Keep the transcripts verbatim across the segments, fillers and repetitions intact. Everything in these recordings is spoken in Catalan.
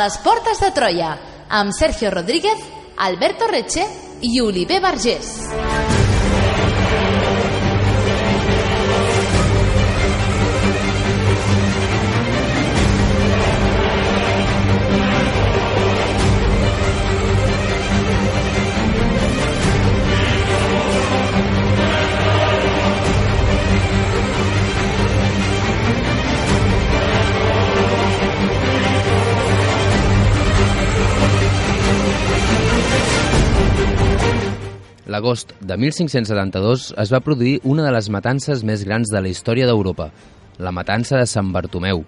les portes de Troia, amb Sergio Rodríguez, Alberto Reche i Oliver Vergés. L'agost de mil cinc-cents setanta-dos es va produir una de les matances més grans de la història d'Europa, la matança de Sant Bartomeu.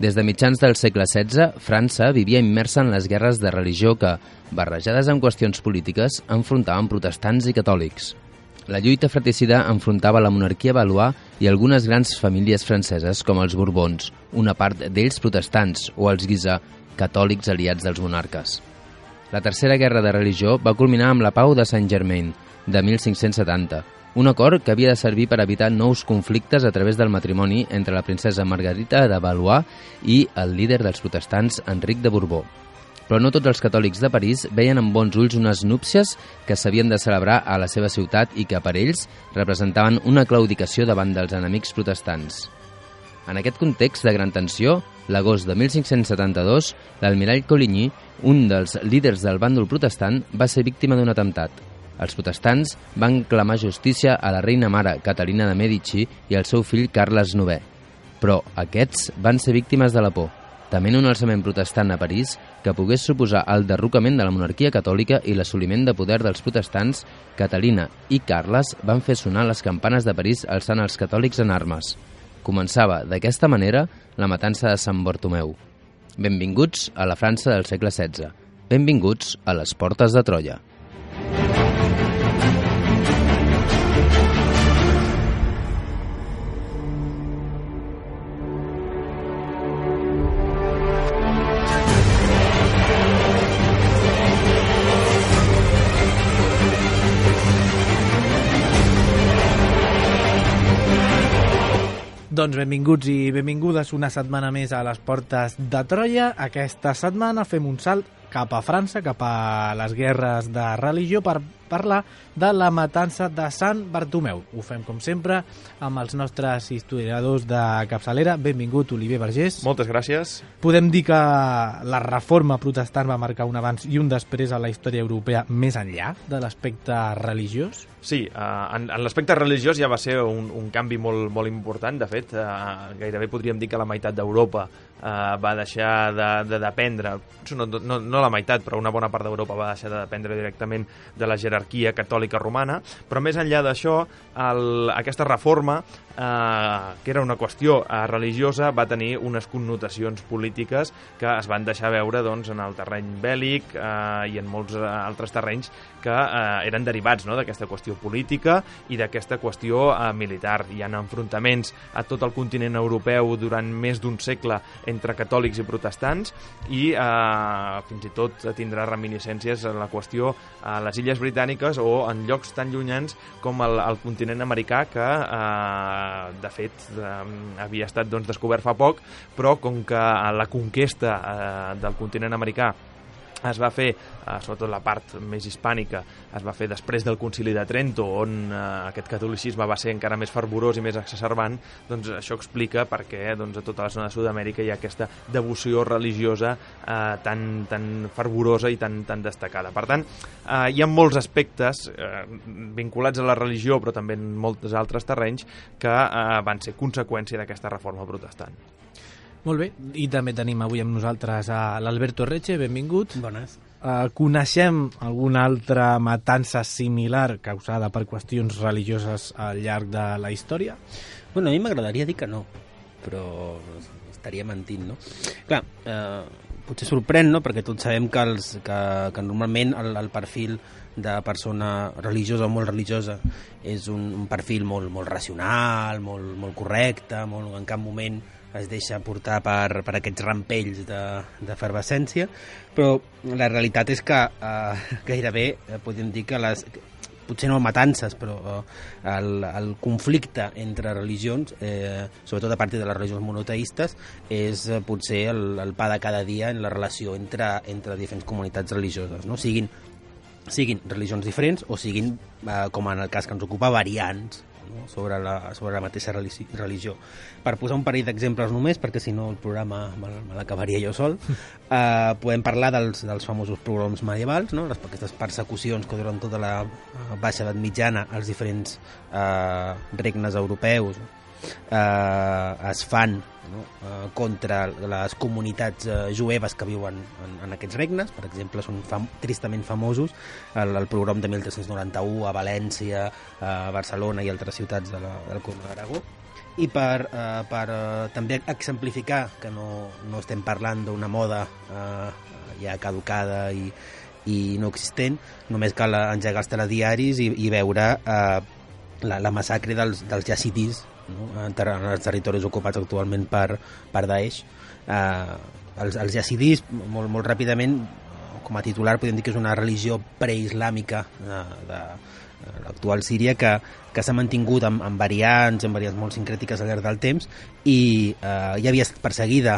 Des de mitjans del segle setze, França vivia immersa en les guerres de religió que, barrejades amb qüestions polítiques, enfrontaven protestants i catòlics. La lluita fratricida enfrontava la monarquia valois i algunes grans famílies franceses com els Borbons, una part d'ells protestants, o els Guisa, catòlics aliats dels monarques. La tercera guerra de religió va culminar amb la Pau de Saint-Germain, de mil cinc-cents setanta, un acord que havia de servir per evitar nous conflictes a través del matrimoni entre la princesa Margarita de Valois i el líder dels protestants, Enric de Borbó. Però no tots els catòlics de París veien amb bons ulls unes núpcies que s'havien de celebrar a la seva ciutat i que per ells representaven una claudicació davant dels enemics protestants. En aquest context de gran tensió, l'agost de mil cinc-cents setanta-dos, l'almirall Coligny, un dels líders del bàndol protestant, va ser víctima d'un atemptat. Els protestants van clamar justícia a la reina mare Caterina de Medici i al seu fill Carles novè. Però aquests van ser víctimes de la por, tement un alçament protestant a París que pogués suposar el derrocament de la monarquia catòlica i l'assoliment de poder dels protestants. Caterina i Carles van fer sonar les campanes de París alçant els catòlics en armes. Començava, d'aquesta manera, la matança de Sant Bartomeu. Benvinguts a la França del segle setze. Benvinguts a les portes de Troia. Doncs benvinguts i benvingudes una setmana més a les portes de Troia. Aquesta setmana fem un salt cap a França, cap a les guerres de religió, per parlar de la matança de Sant Bartomeu. Ho fem, com sempre, amb els nostres historiadors de capçalera. Benvingut, Oliver Vergés. Moltes gràcies. Podem dir que la reforma protestant va marcar un abans i un després a la història europea més enllà de l'aspecte religiós? Sí, uh, en, en l'aspecte religiós ja va ser un, un canvi molt, molt important. De fet, uh, gairebé podríem dir que la meitat d'Europa uh, va deixar de, de dependre, no, no, no la meitat, però una bona part d'Europa va deixar de dependre directament de la jerarquia catòlica romana. Però més enllà d'això, el, aquesta reforma, eh, que era una qüestió eh, religiosa, va tenir unes connotacions polítiques que es van deixar veure doncs, en el terreny bèl·lic eh, i en molts altres terrenys que eh, eren derivats, no?, d'aquesta qüestió política i d'aquesta qüestió eh, militar. Hi ha enfrontaments a tot el continent europeu durant més d'un segle entre catòlics i protestants i eh, fins i tot tindrà reminiscències en la qüestió a les Illes Britàniques o en llocs tan llunyans com el, el continent americà que, eh, de fet, eh, havia estat doncs, descobert fa poc, però com que la conquesta eh, del continent americà es va fer, eh, sobretot la part més hispànica, es va fer després del Concili de Trento, on eh, aquest catolicisme va ser encara més fervorós i més exacerbant. Doncs això explica per què doncs, a tota la zona de Sud-amèrica hi ha aquesta devoció religiosa eh, tan, tan fervorosa i tan, tan destacada. Per tant, eh, hi ha molts aspectes eh, vinculats a la religió, però també en molts altres terrenys, que eh, van ser conseqüència d'aquesta reforma protestant. Molt bé, i també tenim avui amb nosaltres a l'Alberto Reche, benvingut. Bones. Uh, coneixem alguna altra matança similar causada per qüestions religioses al llarg de la història? Bueno, a mi m'agradaria dir que no, però estaria mentint, no? Clar, eh, potser sorprèn, no?, perquè tots sabem que, els, que, que normalment el, el perfil de persona religiosa o molt religiosa és un, un perfil molt, molt racional, molt, molt correcte, molt, en cap moment es deixa portar per, per aquests rampells d'efervescència, però la realitat és que eh, gairebé eh, podem dir que les, potser no matances, però eh, el, el conflicte entre religions, eh, sobretot a partir de les religions monoteistes, és eh, potser el, el pa de cada dia en la relació entre, entre diferents comunitats religioses, no? Siguin, siguin religions diferents o siguin, eh, com en el cas que ens ocupa, variants, no? sobre, la, sobre la mateixa religió. Per posar un parell d'exemples només, perquè si no el programa me, me l'acabaria jo sol, eh, podem parlar dels, dels famosos pogroms medievals, no? Les, aquestes persecucions que durant tota la baixa edat mitjana els diferents eh, regnes europeus eh, es fan, no? eh, contra les comunitats eh, jueves que viuen en, en aquests regnes. Per exemple, són fam tristament famosos el, el pogrom de mil tres-cents noranta-u a València, a Barcelona i altres ciutats de la, del Comte d'Aragó. I per, eh, per eh, també exemplificar que no, no estem parlant d'una moda eh, ja caducada i, i no existent, només cal engegar els telediaris i, i veure eh, la, la massacre dels, dels yazidis, no? en, ter en els territoris ocupats actualment per, per Daesh. Eh, els, els yazidis, molt, molt ràpidament, com a titular podem dir que és una religió preislàmica de, de l'actual Síria que, que s'ha mantingut amb, amb variants, amb variants molt sincrètiques al llarg del temps i eh, ja havia estat perseguida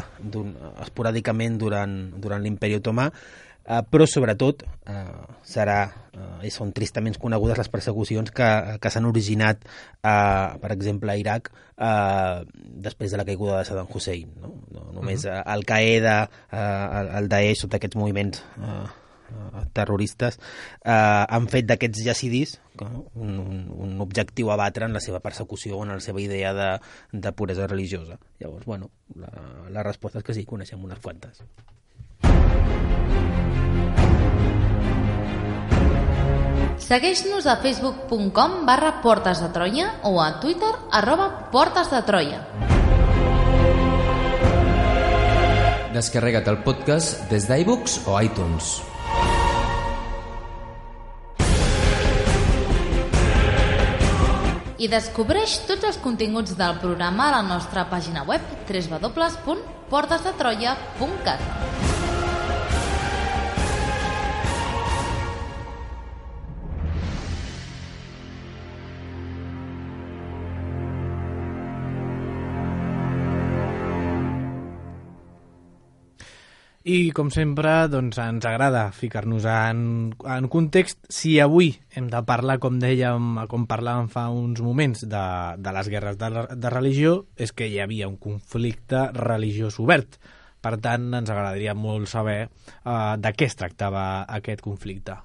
esporàdicament durant, durant l'imperi otomà, eh, però sobretot eh, serà, eh, i són tristament conegudes les persecucions que, que s'han originat, eh, per exemple, a Iraq eh, després de la caiguda de Saddam Hussein. No, no només uh-huh. Al-Qaeda, eh, el, el Daesh, tots aquests moviments eh, terroristes eh, han fet d'aquests yazidis un, un, un objectiu a batre en la seva persecució o en la seva idea de, de puresa religiosa. Llavors, bueno, la, la resposta és que sí, coneixem unes quantes. Segueix-nos a facebook punt com barra Portes de Troia o a Twitter arroba Portes de Troia. Descarrega't el podcast des d'iVoox o iTunes. I descobreix tots els continguts del programa a la nostra pàgina web w w w punt portes de troia punt cat. I, com sempre, doncs, ens agrada ficar-nos en, en context. Si avui hem de parlar, com dèiem, com parlàvem fa uns moments, de, de les guerres de, de religió, és que hi havia un conflicte religiós obert. Per tant, ens agradaria molt saber uh, de què es tractava aquest conflicte.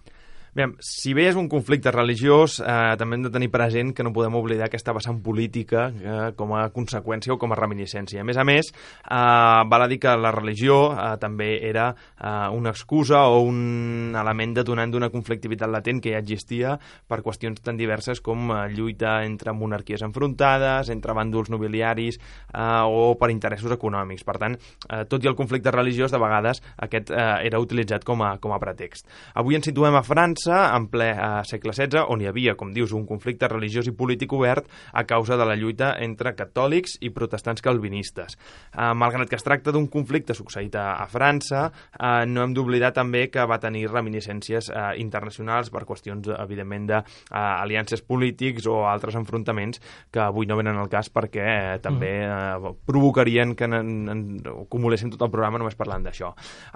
Bé, si bé és un conflicte religiós, eh, també hem de tenir present que no podem oblidar aquesta vessant política eh, com a conseqüència o com a reminiscència. A més a més, eh, val a dir que la religió eh, també era eh, una excusa o un element detonant d'una conflictivitat latent que ja existia per qüestions tan diverses com eh, lluita entre monarquies enfrontades, entre bàndols nobiliaris eh, o per interessos econòmics. Per tant, eh, tot i el conflicte religiós, de vegades aquest eh, era utilitzat com a, com a pretext. Avui ens situem a França, en ple eh, segle setze, on hi havia, com dius, un conflicte religiós i polític obert a causa de la lluita entre catòlics i protestants calvinistes. Eh, malgrat que es tracta d'un conflicte succeït a, a França, eh, no hem d'oblidar també que va tenir reminiscències eh, internacionals per qüestions, evidentment, d'aliances eh, polítics o altres enfrontaments que avui no venen al cas perquè eh, també eh, provocarien que en, en, acumuléssim tot el programa només parlant d'això.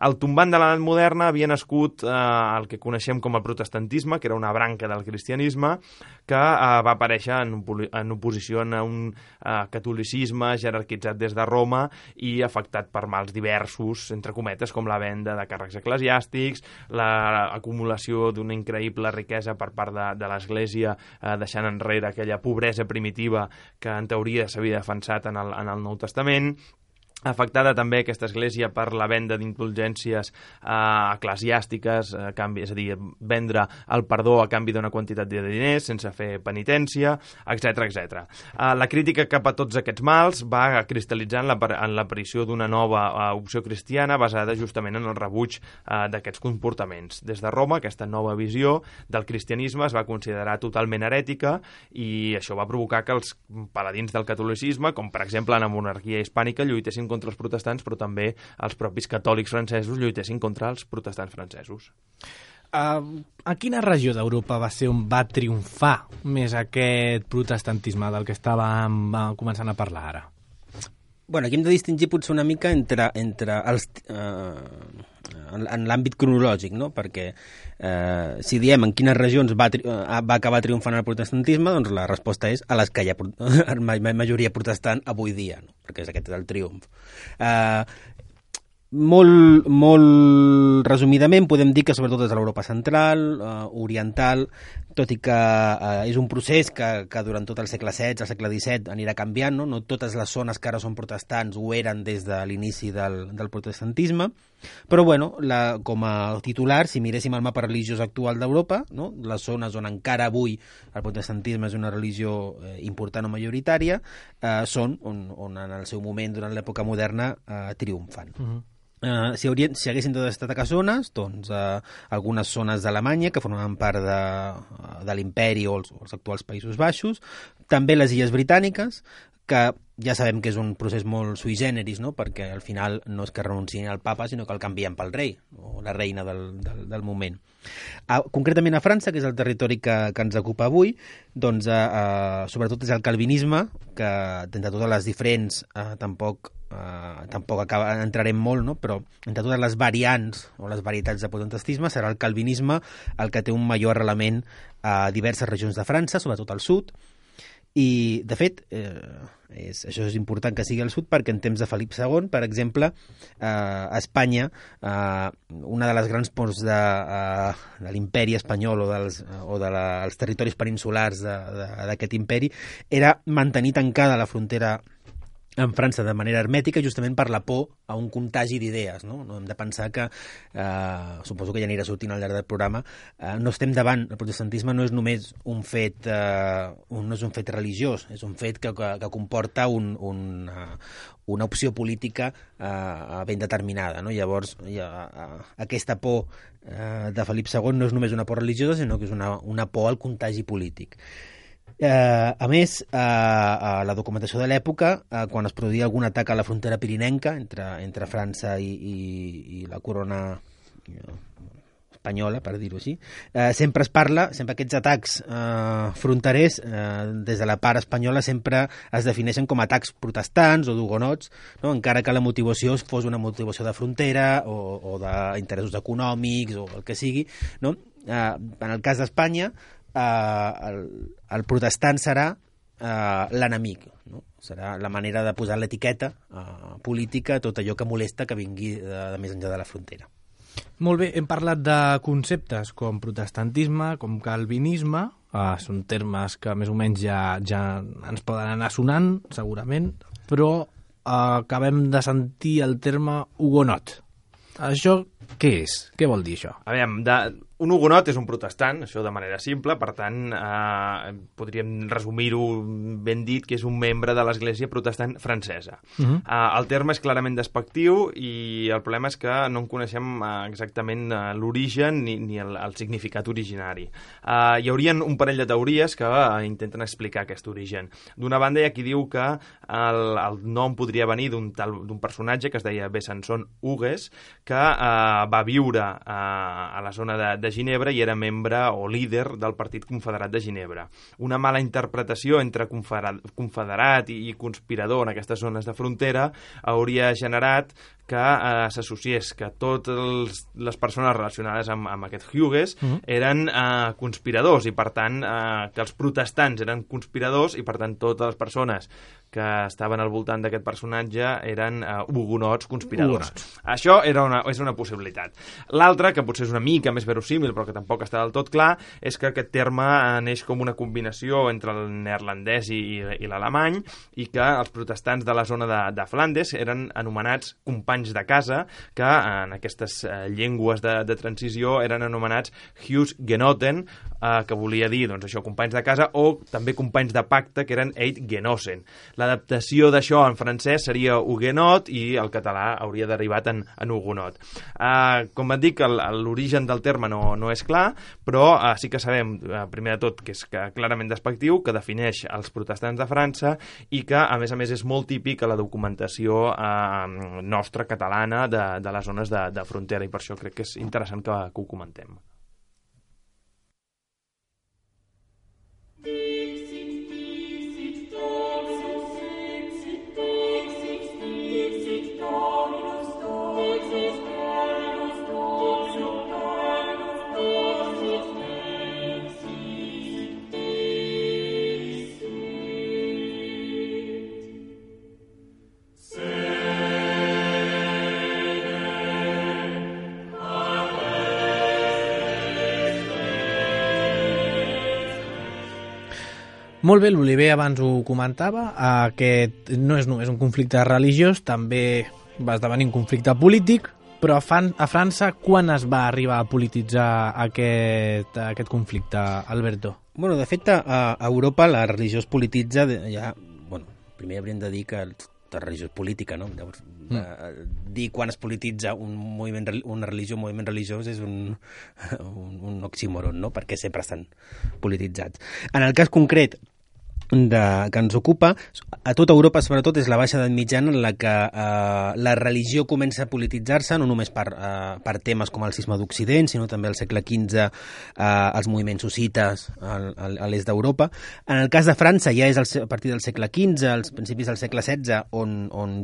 El tombant de l'edat moderna havia nascut eh, el que coneixem com el protestantisme, que era una branca del cristianisme, que eh, va aparèixer en, en oposició a un eh, catolicisme jerarquitzat des de Roma i afectat per mals diversos, entre cometes, com la venda de càrrecs eclesiàstics, l'acumulació d'una increïble riquesa per part de, de l'Església, eh, deixant enrere aquella pobresa primitiva que en teoria s'havia defensat en el, en el Nou Testament, afectada també aquesta església per la venda d'indulgències eh, eclesiàstiques, a canvi, és a dir, vendre el perdó a canvi d'una quantitat de diners sense fer penitència, etcètera, etcètera. Eh, la crítica cap a tots aquests mals va cristal·litzar en l'aparició d'una nova eh, opció cristiana basada justament en el rebuig eh, d'aquests comportaments. Des de Roma, aquesta nova visió del cristianisme es va considerar totalment herètica i això va provocar que els paladins del catolicisme, com per exemple en la monarquia hispànica, lluitessin contra els protestants, però també els propis catòlics francesos lluitessin contra els protestants francesos. Uh, a quina regió d'Europa va ser on va triomfar més aquest protestantisme del que estàvem uh, començant a parlar ara? Bueno, aquí hem de distingir potser una mica entre, entre els, eh, en, en l'àmbit cronològic, no? Perquè eh, si diem en quines regions va, tri va acabar triomfant el protestantisme, doncs la resposta és a les que hi ha majoria protestant avui dia, no? Perquè és aquest és el triomf. Eh, Molt, molt resumidament podem dir que sobretot és a l'Europa central, eh, oriental, tot i que eh, és un procés que, que durant tot el segle setze, el segle disset anirà canviant, no? No totes les zones que ara són protestants ho eren des de l'inici del, del protestantisme, però bueno, la, com a titular, si miréssim el mapa religiós actual d'Europa, no? Les zones on encara avui el protestantisme és una religió eh, important o majoritària, eh, són on, on en el seu moment, durant l'època moderna, eh, triomfan. Uh-huh. Uh, si, haurien, si haguessin de destacar zones, doncs uh, algunes zones d'Alemanya que formaven part de, de l'imperi o els, o els actuals Països Baixos, també les Illes Britàniques, que ja sabem que és un procés molt sui generis, no? Perquè al final no és que renunciïn al papa, sinó que el canvien pel rei o la reina del, del, del moment. Uh, concretament a França, que és el territori que, que ens ocupa avui, doncs uh, uh, sobretot és el calvinisme, que d'entre totes les diferents uh, tampoc Uh, tampoc acaba, entrarem molt, no? Però entre totes les variants o les varietats de protestantisme serà el calvinisme el que té un major arrelament a diverses regions de França, sobretot al sud, i de fet eh, és, això és important que sigui al sud perquè en temps de Felip segon, per exemple, eh, a Espanya eh, una de les grans pors de, eh, de l'imperi espanyol o dels o de la, els territoris peninsulars d'aquest imperi era mantenir tancada la frontera en França de manera hermètica justament per la por a un contagi d'idees, no? No hem de pensar que, eh, suposo que ja anirà sortint al llarg del programa, eh, no estem davant, el protestantisme no és només un fet, eh, un, no és un fet religiós, és un fet que, que, que comporta un, un, uh, una opció política eh, ben determinada, no? Llavors, ja, uh, aquesta por eh, de Felip segon no és només una por religiosa, sinó que és una, una por al contagi polític. Eh, a més, eh, a la documentació de l'època, eh, quan es produïa algun atac a la frontera pirinenca entre, entre França i, i, i la corona eh, espanyola, per dir-ho així, eh, sempre es parla, sempre aquests atacs eh, fronterers, eh, des de la part espanyola, sempre es defineixen com atacs protestants o d'hugonots, no? Encara que la motivació fos una motivació de frontera o, o d'interessos econòmics o el que sigui, no? Eh, en el cas d'Espanya, Uh, el, el protestant serà uh, l'enemic, no? Serà la manera de posar l'etiqueta uh, política a tot allò que molesta que vingui de, de més enllà de la frontera. Molt bé, hem parlat de conceptes com protestantisme, com calvinisme, uh, són termes que més o menys ja, ja ens poden anar sonant, segurament, però uh, acabem de sentir el terme hugonot. Això què és? Què vol dir això? A veure, de, un hugonot és un protestant, això de manera simple, per tant, eh, podríem resumir-ho ben dit que és un membre de l'Església Protestant francesa. Uh-huh. eh, el terme és clarament despectiu i el problema és que no en coneixem eh, exactament eh, l'origen ni, ni el, el significat originari. Eh, hi haurien un parell de teories que eh, intenten explicar aquest origen. D'una banda hi ha qui diu que el, el nom podria venir d'un d'un personatge que es deia Besançon Hugues, que eh, va viure eh, a la zona de, de Ginebra i era membre o líder del Partit Confederat de Ginebra. Una mala interpretació entre confederat, confederat i, i conspirador en aquestes zones de frontera hauria generat que eh, s'associés que totes les persones relacionades amb, amb aquest Hugues uh-huh. eren eh, conspiradors i, per tant, eh, que els protestants eren conspiradors i, per tant, totes les persones que estaven al voltant d'aquest personatge eren uh, hugonots conspiradors. Hugonots. Això era una, és una possibilitat. L'altra, que potser és una mica més verossímil, però que tampoc està del tot clar, és que aquest terme neix com una combinació entre el neerlandès i, i, i l'alemany i que els protestants de la zona de, de Flandes eren anomenats companys de casa, que en aquestes uh, llengües de, de transició eren anomenats Huisgenoten, uh, que volia dir, doncs això, companys de casa, o també companys de pacte, que eren Eidgenossen. L'adaptació d'això en francès seria huguenot i el català hauria derivat en, en hugonot. Uh, com et dic, l'origen del terme no, no és clar, però uh, sí que sabem, uh, primer de tot, que és que clarament despectiu, que defineix els protestants de França i que, a més a més, és molt típic a la documentació uh, nostra, catalana, de, de les zones de, de frontera, i per això crec que és interessant que, que ho comentem. Molt bé, l'Oliver abans ho comentava, aquest no és només un conflicte religiós, també va esdevenir un conflicte polític, però a, Fan, a França quan es va arribar a polititzar aquest, aquest conflicte, Alberto? Bueno, de fet, a, a Europa la religió es polititza ja... Bueno, primer hauríem de dir que la religió és política, no? Llavors, mm. eh, dir quan es polititza un moviment, una religió, un moviment religiós és un, un, un oxímoron, no? Perquè sempre estan polititzats. En el cas concret de, que ens ocupa, a tota Europa sobretot és la baixa edat mitjana en la que eh, la religió comença a polititzar-se, no només per, eh, per temes com el cisma d'Occident, sinó també al segle quinze eh, els moviments hussites al, al, a l'est d'Europa. En el cas de França ja és el, a partir del segle quinze, als principis del segle setze, on, on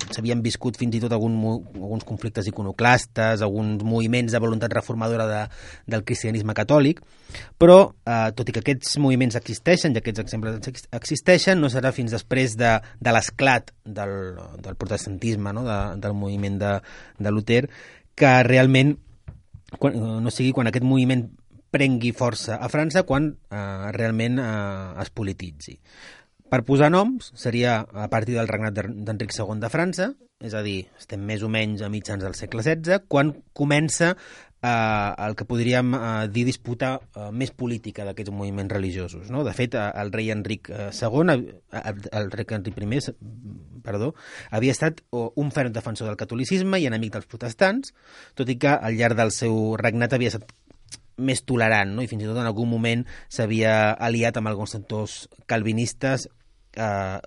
s'havien viscut fins i tot algun, alguns conflictes iconoclastes, alguns moviments de voluntat reformadora de, del cristianisme catòlic, però eh, tot i que aquests moviments existeixen i aquests exemples existeixen, no serà fins després de, de l'esclat del, del protestantisme, no? de, del moviment de, de Luter, que realment quan, no sigui quan aquest moviment prengui força a França, quan eh, realment eh, es polititzi. Per posar noms, seria a partir del regnat d'Enric segon de França, és a dir, estem més o menys a mitjans del segle setze, quan comença eh, el que podríem eh, dir disputa eh, més política d'aquests moviments religiosos. No? De fet, el rei Enric segon, el rei Enric primer, perdó, havia estat un ferm defensor del catolicisme i enemic dels protestants, tot i que al llarg del seu regnat havia estat més tolerant, no? I fins i tot en algun moment s'havia aliat amb alguns sectors calvinistes eh,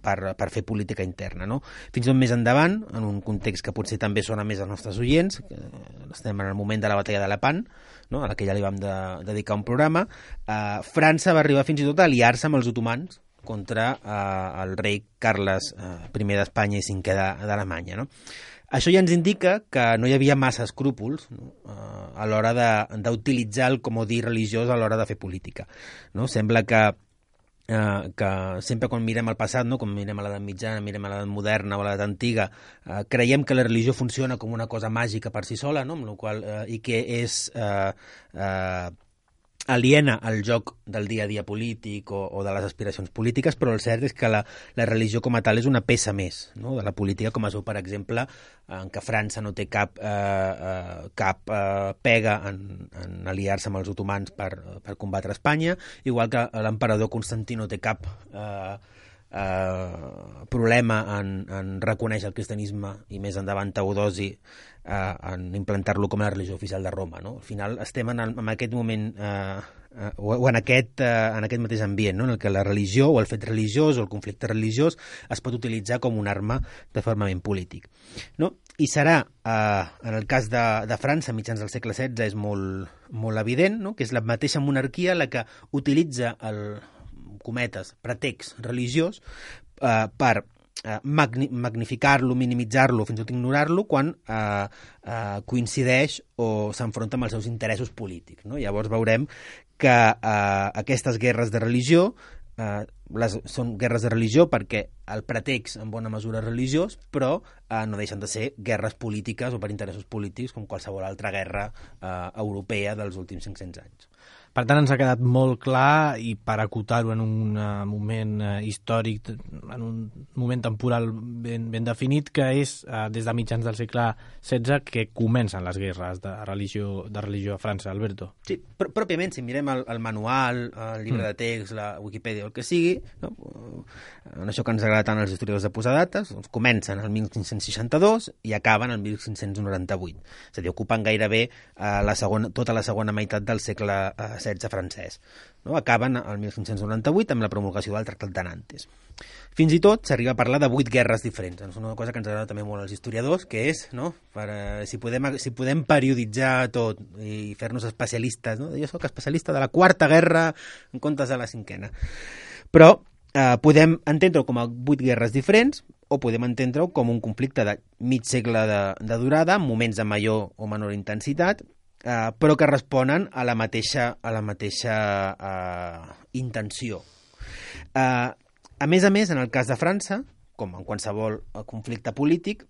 per, per fer política interna, no? Fins i tot més endavant, en un context que potser també sona més als nostres oients, que estem en el moment de la batalla de Lepant, no? A la que ja li vam de, dedicar un programa, eh, França va arribar fins i tot a aliar-se amb els otomans contra eh, el rei Carles eh, primer d'Espanya i cinquè d'Alemanya, no? Això ja ens indica que no hi havia massa escrúpols, no? a l'hora d'utilitzar el comodí religiós a l'hora de fer política. No? Sembla que, eh, que sempre quan mirem el passat, no? Quan mirem a l'edat mitjana, mirem a l'edat moderna o a l'edat antiga, eh, creiem que la religió funciona com una cosa màgica per si sola, no? Amb la qual, eh, i que és... Eh, eh, aliena al joc del dia a dia polític o, o de les aspiracions polítiques, però el cert és que la, la religió com a tal és una peça més, no? De la política, com es veu, per exemple, en què França no té cap, eh, eh, cap eh, pega en, en aliar-se amb els otomans per, per combatre Espanya, igual que l'emperador Constantí no té cap eh, eh, problema en, en reconèixer el cristianisme i més endavant Teodosi Uh, en implantar-lo com a religió oficial de Roma, no? Al final estem en, el, en aquest moment uh, uh, o, o en, aquest, uh, en aquest mateix ambient, no? En el que la religió o el fet religiós o el conflicte religiós es pot utilitzar com una arma de formament polític, no? I serà, uh, en el cas de, de França, a mitjans del segle setze, és molt, molt evident, no? Que és la mateixa monarquia la que utilitza el, cometes, pretext religiós uh, per Magni magnificar-lo, minimitzar-lo, fins i tot ignorar-lo quan eh, eh, coincideix o s'enfronta amb els seus interessos polítics, no? Llavors veurem que eh, aquestes guerres de religió eh, les, són guerres de religió perquè el pretext en bona mesura és religiós, però eh, no deixen de ser guerres polítiques o per interessos polítics com qualsevol altra guerra eh, europea dels últims cinc-cents anys. Per tant, ens ha quedat molt clar, i per acotar-ho en un uh, moment uh, històric, en un moment temporal ben, ben definit, que és uh, des de mitjans del segle setze que comencen les guerres de religió, de religió a França, Alberto. Sí, pr pròpiament, si mirem el, el manual, el llibre mm. de text, la Wikipedia o el que sigui, no? En això que ens agrada tant als historiadors de posar dates, doncs comencen el mil cinc-cents seixanta-dos i acaben el mil cinc-cents noranta-vuit. És a dir, ocupen gairebé uh, la segona, tota la segona meitat del segle uh, setze francès. No? Acaben el mil cinc-cents noranta-vuit amb la promulgació del Tractat de Nantes. Fins i tot s'arriba a parlar de vuit guerres diferents. És una cosa que ens agrada també molt als historiadors, que és, no? Per, uh, si, podem, si podem perioditzar tot i fer-nos especialistes, no? Jo soc especialista de la quarta guerra en comptes de la cinquena. Però eh, podem entendre-ho com a vuit guerres diferents o podem entendre-ho com un conflicte de mig segle de, de durada, amb moments de major o menor intensitat, Uh, però que responen a la mateixa, a la mateixa uh, intenció. Uh, a més a més, en el cas de França, com en qualsevol conflicte polític,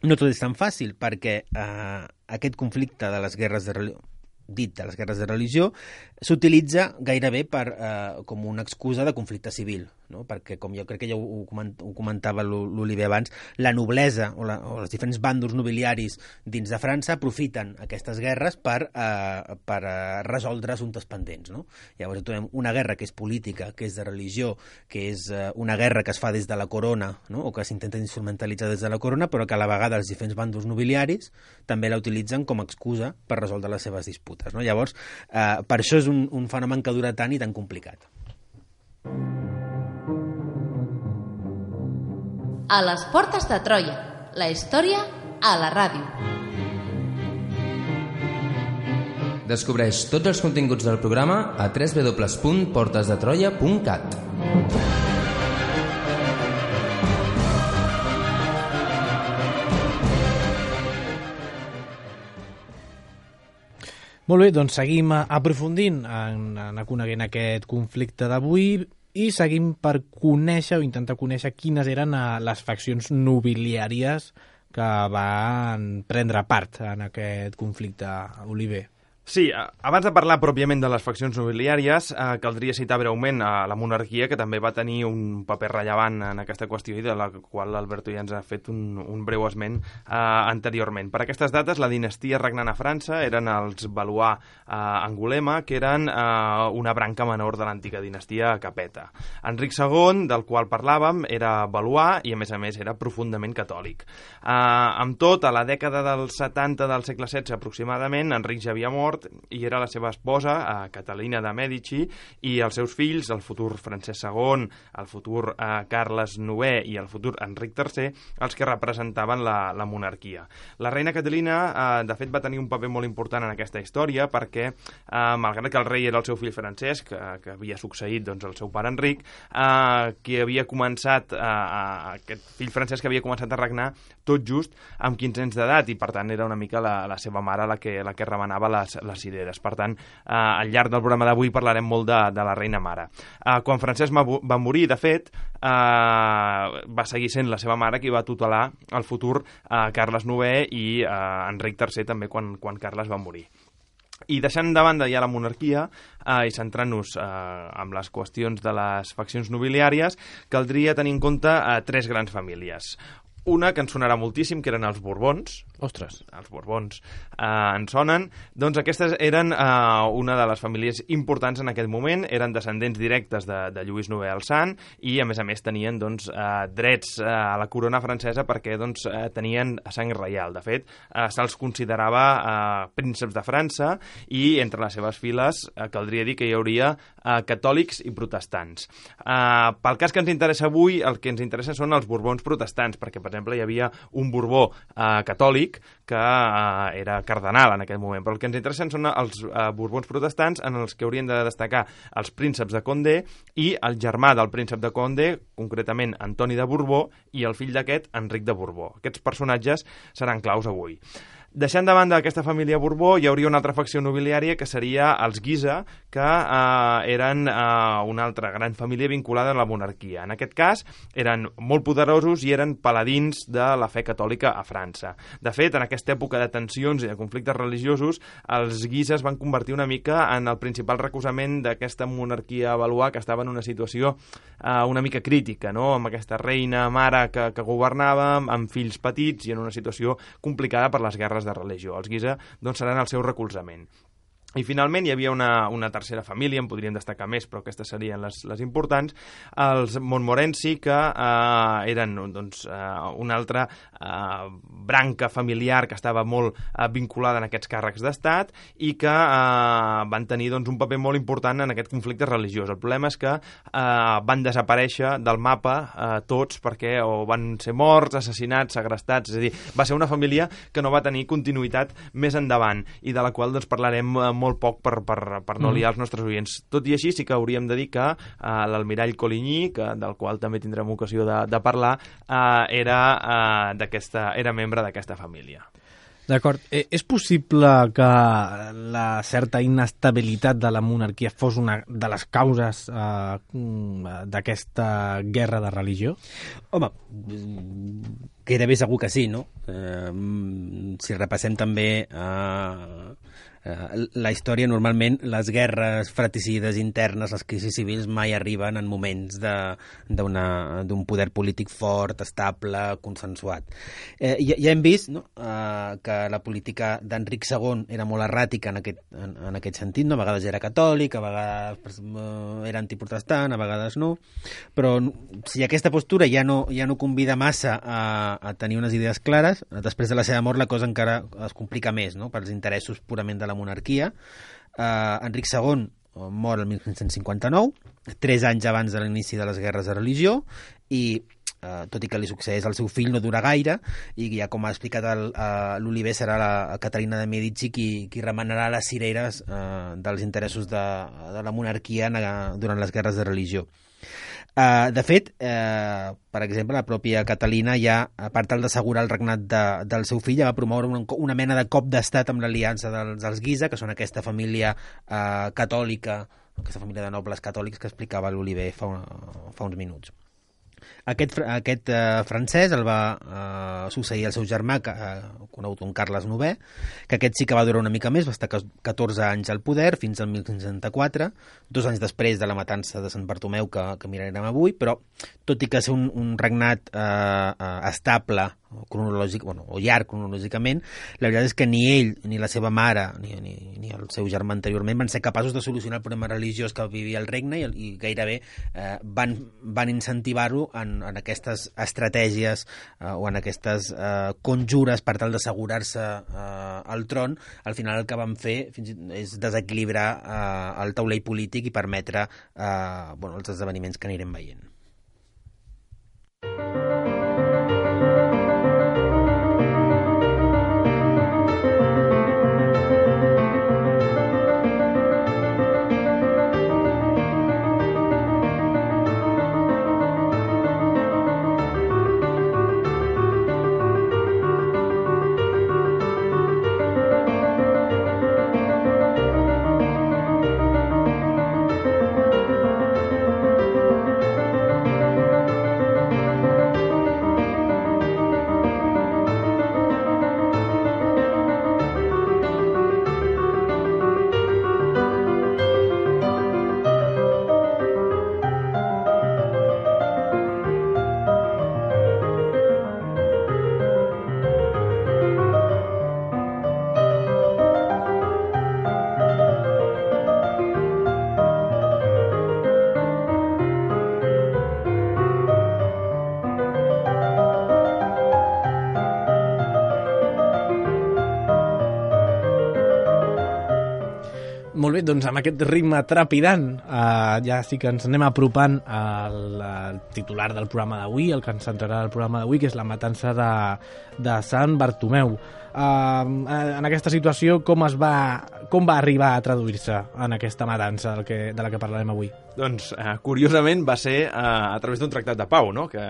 no tot és tan fàcil, perquè uh, aquest conflicte de les guerres de religió, dit de les guerres de religió, s'utilitza gairebé per, eh, com una excusa de conflicte civil, no? Perquè, com jo crec que ja ho, ho comentava l'Oliver abans, la noblesa o, la, o els diferents bàndols nobiliaris dins de França aprofiten aquestes guerres per, eh, per eh, resoldre assumptes pendents, no? Llavors trobem una guerra que és política, que és de religió, que és eh, una guerra que es fa des de la corona, no? O que s'intenta instrumentalitzar des de la corona, però que a la vegada els diferents bàndols nobiliaris també la utilitzen com a excusa per resoldre les seves disputes, no? Llavors, eh, per això és un, un fenomen que dura tant i tan complicat. A les portes de Troia, la història a la ràdio. Descobreix tots els continguts del programa a w w w punt portes de troia punt cat. Molt bé, doncs seguim aprofundint en anar coneguent aquest conflicte d'avui i seguim per conèixer o intentar conèixer quines eren les faccions nobiliàries que van prendre part en aquest conflicte, Oliver. Sí, abans de parlar pròpiament de les faccions nobiliàries, eh, caldria citar breument a la monarquia, que també va tenir un paper rellevant en aquesta qüestió i de la qual l'Alberto ja ens ha fet un, un breu esment eh, anteriorment. Per aquestes dates, la dinastia regnant a França eren els Valois eh, Angulema, que eren eh, una branca menor de l'antiga dinastia Capeta. Enric segon, del qual parlàvem, era Valois i, a més a més, era profundament catòlic. Eh, amb tot, a la dècada dels setanta del segle setze aproximadament, Enric ja havia mort i era la seva esposa, eh, Catalina de Mèdici, i els seus fills, el futur Francesc segon, el futur eh, Carles novè i el futur Enric tercer, els que representaven la, la monarquia. La reina Catalina, eh, de fet, va tenir un paper molt important en aquesta història perquè, eh, malgrat que el rei era el seu fill Francesc, eh, que havia succeït doncs, el seu pare Enric, eh, que havia començat, eh, aquest fill Francesc havia començat a regnar tot just amb quinze anys d'edat i, per tant, era una mica la, la seva mare la que, la que remenava les, les cireres. Per tant, eh, al llarg del programa d'avui parlarem molt de, de la reina mare. Eh, quan Francesc va morir, de fet, eh, va seguir sent la seva mare qui va tutelar el futur eh, Carles novè i eh, Enric tercer també quan, quan Carles va morir. I deixant de banda ja la monarquia eh, i centrant-nos eh, amb les qüestions de les faccions nobiliàries, caldria tenir en compte eh, tres grans famílies. Una que ens sonarà moltíssim, que eren els Borbons. Ostres. Els Borbons eh, ens sonen. Doncs aquestes eren eh, una de les famílies importants en aquest moment, eren descendents directes de, de Lluís novè el Sant i, a més a més, tenien doncs, eh, drets eh, a la corona francesa perquè doncs, eh, tenien sang reial. De fet, eh, se'ls considerava eh, prínceps de França i entre les seves files eh, caldria dir que hi hauria eh, catòlics i protestants. Eh, pel cas que ens interessa avui, el que ens interessa són els Borbons protestants, perquè, per exemple, hi havia un Borbó eh, catòlic que eh, era cardenal en aquest moment, però el que ens interessen són els eh, Borbons protestants, en els que haurien de destacar els prínceps de Condé i el germà del príncep de Condé, concretament Antoni de Borbó, i el fill d'aquest, Enric de Borbó. Aquests personatges seran claus avui. Deixant de banda aquesta família Borbó, hi hauria una altra facció nobiliària que seria els Guisa, que eh, eren eh, una altra gran família vinculada a la monarquia. En aquest cas, eren molt poderosos i eren paladins de la fe catòlica a França. De fet, en aquesta època de tensions i de conflictes religiosos, els Guisa es van convertir una mica en el principal recolzament d'aquesta monarquia Valois, que estava en una situació eh, una mica crítica, no? Amb aquesta reina mare que, que governava, amb fills petits i en una situació complicada per les guerres de religió. Els Guisa doncs, seran el seu recolzament. I finalment hi havia una, una tercera família, en podríem destacar més, però aquestes serien les, les importants, els Montmorency, que eh, eren doncs, eh, una altra eh, branca familiar que estava molt eh, vinculada en aquests càrrecs d'estat i que eh, van tenir doncs, un paper molt important en aquest conflicte religiós. El problema és que eh, van desaparèixer del mapa eh, tots perquè o van ser morts, assassinats, segrestats, és a dir, va ser una família que no va tenir continuïtat més endavant i de la qual doncs, parlarem eh, molt poc per, per, per no liar els nostres oients. Tot i així, sí que hauríem de dir que eh, l'almirall Coligny, que, del qual també tindrem ocasió de, de parlar, eh, era, eh, d'aquesta, era membre d'aquesta família. D'acord. Eh, és possible que la certa inestabilitat de la monarquia fos una de les causes eh, d'aquesta guerra de religió? Home, gairebé segur que sí, no? Eh, si repassem també eh, eh, la història, normalment, les guerres fratricides internes, les crisis civils, mai arriben en moments d'un poder polític fort, estable, consensuat. Eh, ja, ja hem vist no? eh, que la política d'Enric segon era molt erràtica en aquest, en, en aquest sentit, no? A vegades era catòlic, a vegades eh, era antiprotestant, a vegades no, però si aquesta postura ja no, ja no convida massa a, a tenir unes idees clares, després de la seva mort la cosa encara es complica més, no? Pels interessos purament de la monarquia. Eh, Enric segon mor el mil cinc-cents cinquanta-nou, tres anys abans de l'inici de les guerres de religió, i eh, tot i que li succeeix al seu fill no dura gaire, i ja com ha explicat l'Oliver, serà la Caterina de Medici qui, qui remenarà les cireres eh, dels interessos de, de la monarquia en, durant les guerres de religió. Uh, de fet, uh, per exemple, la pròpia Catalina ja, a part d'assegurar el regnat de, del seu fill, ja va promoure una, una mena de cop d'estat amb l'aliança dels, dels Guisa, que són aquesta família uh, catòlica, aquesta família de nobles catòlics que explicava l'Oliver fa, una, fa uns minuts. Aquest, aquest eh, francès el va eh, succeir el seu germà, que, eh, conegut com Carles novè, que aquest sí que va durar una mica més, va estar catorze anys al poder, fins al mil cinc-cents seixanta-quatre, dos anys després de la matança de Sant Bartomeu, que, que mirarem avui, però tot i que ser un, un regnat eh, eh, estable, cronològic, bueno, o llarg cronològicament, la veritat és que ni ell, ni la seva mare, ni, ni, ni el seu germà anteriorment van ser capaços de solucionar el problema religiós que vivia el regne, i, i gairebé eh, van, van incentivar-ho en, en aquestes estratègies eh, o en aquestes eh, conjures per tal d'assegurar-se eh, al tron. Al final el que van fer fins i tot és desequilibrar eh, el taulell polític i permetre eh, bueno, els esdeveniments que anirem veient. Molt bé, doncs amb aquest ritme trepidant eh, ja sí que ens anem apropant al, al titular del programa d'avui, el que ens centrarà el programa d'avui, que és la matança de, de Sant Bartomeu. Eh, en aquesta situació, com es va, com va arribar a traduir-se en aquesta matança del que, de la que parlarem avui? Doncs, eh, curiosament, va ser eh, a través d'un tractat de pau, no? Que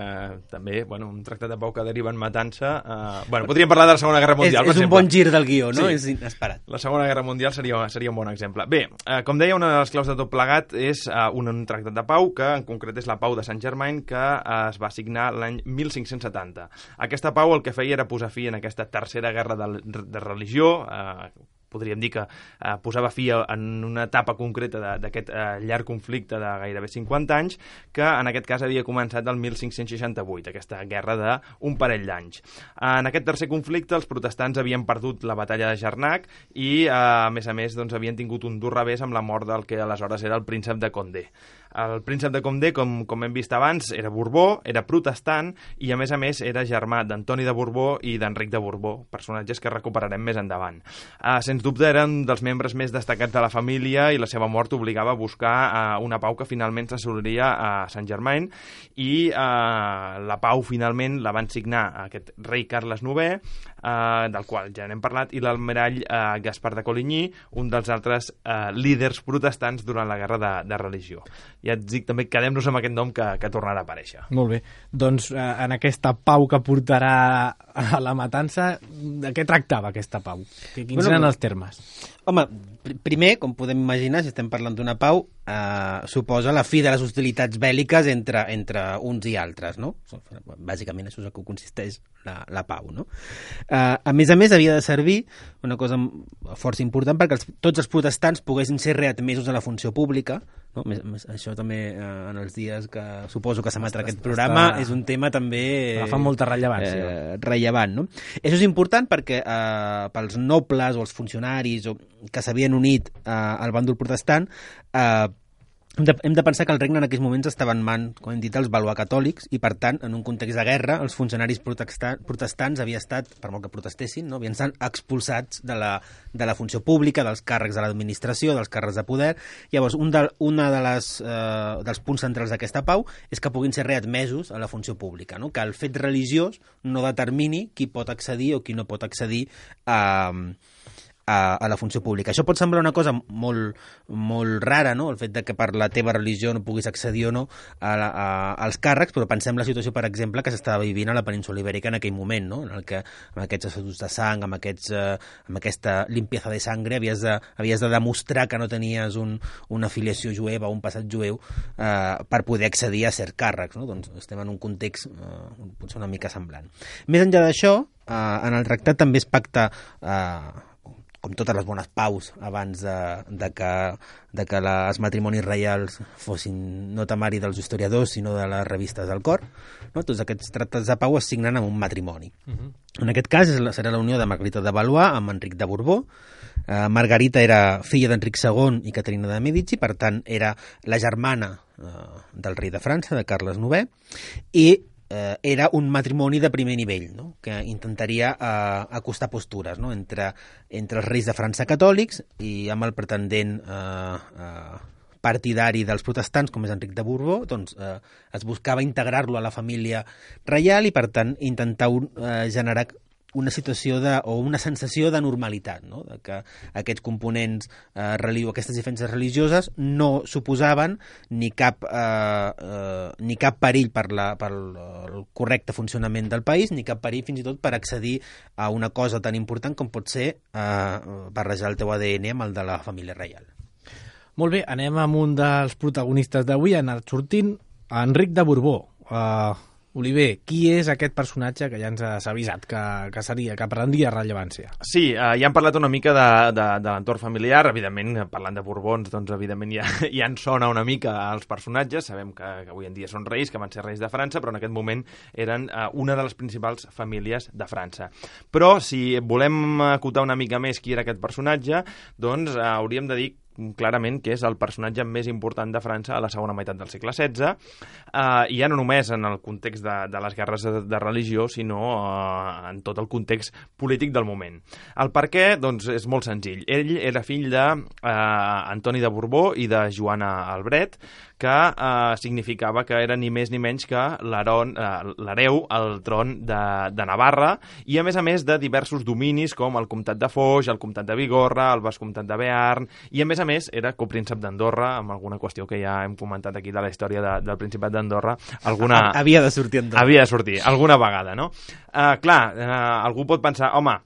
també, bueno, un tractat de pau que deriva en matança... Eh, bueno, podríem parlar de la Segona Guerra Mundial, és, és un bon gir del guió, no? Sí. És inesperat. La Segona Guerra Mundial seria, seria un bon exemple. Bé, eh, com deia, una de les claus de tot plegat és eh, un, un tractat de pau, que en concret és la Pau de Saint-Germain, que eh, es va signar l'any mil cinc-cents setanta. Aquesta pau el que feia era posar fi en aquesta tercera guerra de, de religió, eh, podríem dir que eh, posava fi en una etapa concreta d'aquest eh, llarg conflicte de gairebé cinquanta anys, que en aquest cas havia començat el mil cinc-cents seixanta-vuit, aquesta guerra d'un parell d'anys. En aquest tercer conflicte els protestants havien perdut la batalla de Jarnac i, eh, a més a més, doncs, havien tingut un dur revés amb la mort del que aleshores era el príncep de Condé. El príncep de Condé, com, com hem vist abans, era Borbó, era protestant i, a més a més, era germà d'Antoni de Borbó i d'Enric de Borbó, personatges que recuperarem més endavant. Uh, sens dubte eren dels membres més destacats de la família i la seva mort obligava a buscar uh, una pau que finalment s'assoliria a Saint-Germain, i uh, la pau finalment la van signar aquest rei Carles novè, uh, del qual ja n'hem parlat, i l'almirall uh, Gaspar de Coligny, un dels altres uh, líders protestants durant la guerra de, de religió. Ja et dic també, quedem-nos amb aquest nom que, que tornarà a aparèixer. Molt bé. Doncs eh, en aquesta pau que portarà a la matança, de què tractava aquesta pau? Quins bueno, eren els termes? Home, pr primer, com podem imaginar, si estem parlant d'una pau, eh, suposa la fi de les hostilitats bèl·liques entre, entre uns i altres, no? Bàsicament això és el que consisteix la, la pau, no? Eh, a més a més, havia de servir una cosa força important perquè els, tots els protestants poguessin ser readmesos a la funció pública, no? Més, més, això també eh, en els dies que suposo que s'emetrà aquest programa està... és un tema també eh, fa molta rellevància eh, rellevant, no? Això és important perquè eh, pels nobles o els funcionaris o, que s'havien unit eh, al bàndol protestant eh, hem de, hem de pensar que el regne en aquells moments estava en mans, com hem dit, els valois catòlics i per tant, en un context de guerra, els funcionaris protestant, protestants havien estat, per molt que protestessin, no? havien estat expulsats de la, de la funció pública, dels càrrecs de l'administració, dels càrrecs de poder. Llavors, un de, una de les, eh, dels punts centrals d'aquesta pau és que puguin ser readmesos a la funció pública, no? Que el fet religiós no determini qui pot accedir o qui no pot accedir a... A, a la funció pública. Això pot semblar una cosa molt, molt rara, no? El fet de que per la teva religió no puguis accedir o no a, a, als càrrecs, però pensem la situació, per exemple, que s'estava vivint a la península Ibèrica en aquell moment, no? En el que amb aquests assados de sang, amb, aquests, eh, amb aquesta limpieza de sangre, havies de, havies de demostrar que no tenies un, una afiliació jueva o un passat jueu eh, per poder accedir a cert càrrecs, no? Doncs estem en un context eh, potser una mica semblant. Més enllà d'això, eh, en el tractat també es pacta eh, com totes les bones paus abans de, de que, de que les, els matrimonis reials fossin no temari dels historiadors, sinó de les revistes del cor. No? Tots aquests tractats de pau es signen amb un matrimoni. Uh -huh. En aquest cas és la, serà la unió de Margarita de Valois amb Enric de Borbó. Eh, Margarita era filla d'Enric segon i Caterina de Medici, per tant era la germana eh, del rei de França, de Carles novè, i Eh, era un matrimoni de primer nivell, no? Que intentaria eh, acostar postures, no? entre, entre els reis de França catòlics i amb el pretendent eh, eh, partidari dels protestants, com és Enric de Borbó, doncs eh, es buscava integrar-lo a la família reial i, per tant, intentar un, eh, generar una situació de, o una sensació de normalitat, no? De que aquests components eh, religió, aquestes diferències religioses no suposaven ni cap, eh, eh, ni cap perill per, la, per el correcte funcionament del país, ni cap perill fins i tot per accedir a una cosa tan important com pot ser eh, barrejar el teu A D N amb el de la família reial. Molt bé, anem amb un dels protagonistes d'avui, ha anat sortint Enric de Borbó. Uh, Oliver, qui és aquest personatge que ja ens has avisat que, que seria, que prendria rellevància? Sí, eh, ja hem parlat una mica de, de, de l'entorn familiar, evidentment, parlant de Borbons, doncs evidentment ja, ja ens sona una mica als personatges, sabem que, que avui en dia són reis, que van ser reis de França, però en aquest moment eren eh, una de les principals famílies de França. Però si volem acotar una mica més qui era aquest personatge, doncs eh, hauríem de dir clarament que és el personatge més important de França a la segona meitat del segle setze, eh, i ja no només en el context de, de les guerres de, de religió, sinó eh, en tot el context polític del moment. El per què? Doncs és molt senzill. Ell era fill d'Antoni de, eh, de Borbó i de Joana Albret, que eh, significava que era ni més ni menys que l'hereu eh, al tron de, de Navarra, i a més a més de diversos dominis com el comtat de Foix, el comtat de Bigorra, el vescomtat de Bearn, i a més a més era copríncep d'Andorra, amb alguna qüestió que ja hem comentat aquí de la història de, del Principat d'Andorra. Alguna... Havia de sortir Andorra. Havia de sortir, alguna vegada, no? Uh, clar, uh, algú pot pensar, home,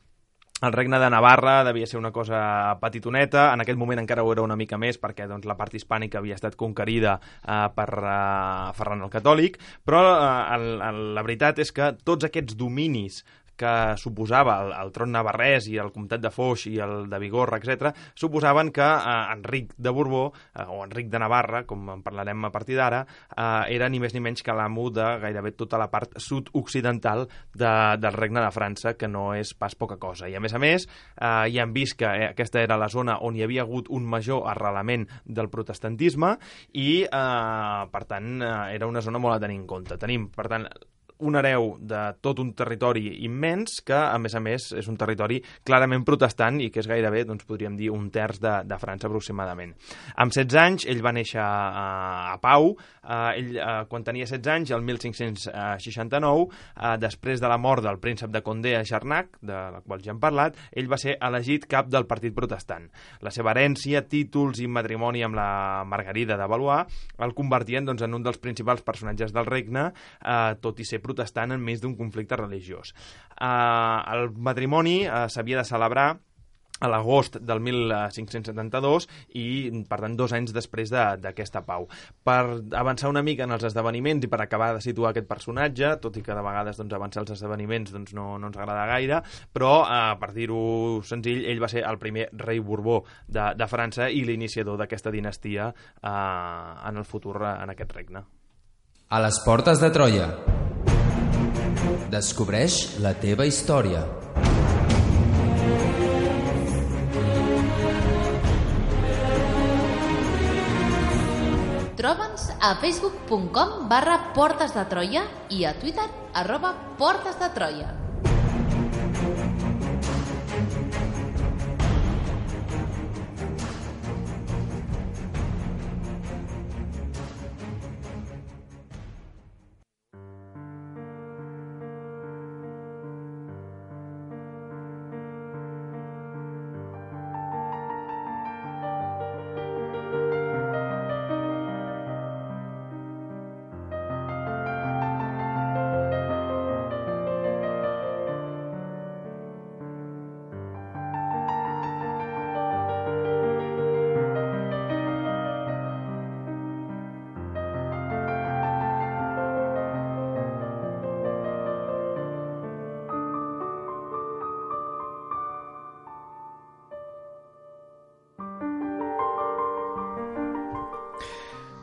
el regne de Navarra devia ser una cosa petitoneta, en aquell moment encara ho era una mica més perquè doncs, la part hispànica havia estat conquerida eh, per eh, Ferran el Catòlic, però eh, el, el, la veritat és que tots aquests dominis que suposava el, el tron navarrès i el comtat de Foix i el de Bigorra, etcètera, suposaven que eh, Enric de Borbó, eh, o Enric de Navarra, com en parlarem a partir d'ara, eh, era ni més ni menys que l'amo de gairebé tota la part sud-occidental de, del regne de França, que no és pas poca cosa. I a més a més, eh, ja hem vist que eh, aquesta era la zona on hi havia hagut un major arrelament del protestantisme i, eh, per tant, eh, era una zona molt a tenir en compte. Tenim, per tant, un hereu de tot un territori immens que, a més a més, és un territori clarament protestant i que és gairebé, doncs, podríem dir, un terç de, de França aproximadament. Amb setze anys, ell va néixer a, a Pau. Uh, ell, uh, quan tenia setze anys, el mil cinc-cents seixanta-nou, uh, després de la mort del príncep de Condé a Jarnac, de la qual ja hem parlat, ell va ser elegit cap del partit protestant. La seva herència, títols i matrimoni amb la Margarida de Valois el convertien, doncs, en un dels principals personatges del regne, uh, tot i ser protestant enmig d'un conflicte religiós. Uh, el matrimoni uh, s'havia de celebrar a l'agost del mil cinc-cents setanta-dos i, per tant, dos anys després d'aquesta pau. Per avançar una mica en els esdeveniments i per acabar de situar aquest personatge, tot i que de vegades doncs, avançar els esdeveniments doncs, no, no ens agrada gaire, però, eh, per dir-ho senzill, ell va ser el primer rei Borbó de, de França i l'iniciador d'aquesta dinastia eh, en el futur en aquest regne. A les portes de Troia. Descobreix la teva història. Troba'ns a facebook punt com barra Portes de Troia i a Twitter arroba Portes de Troia.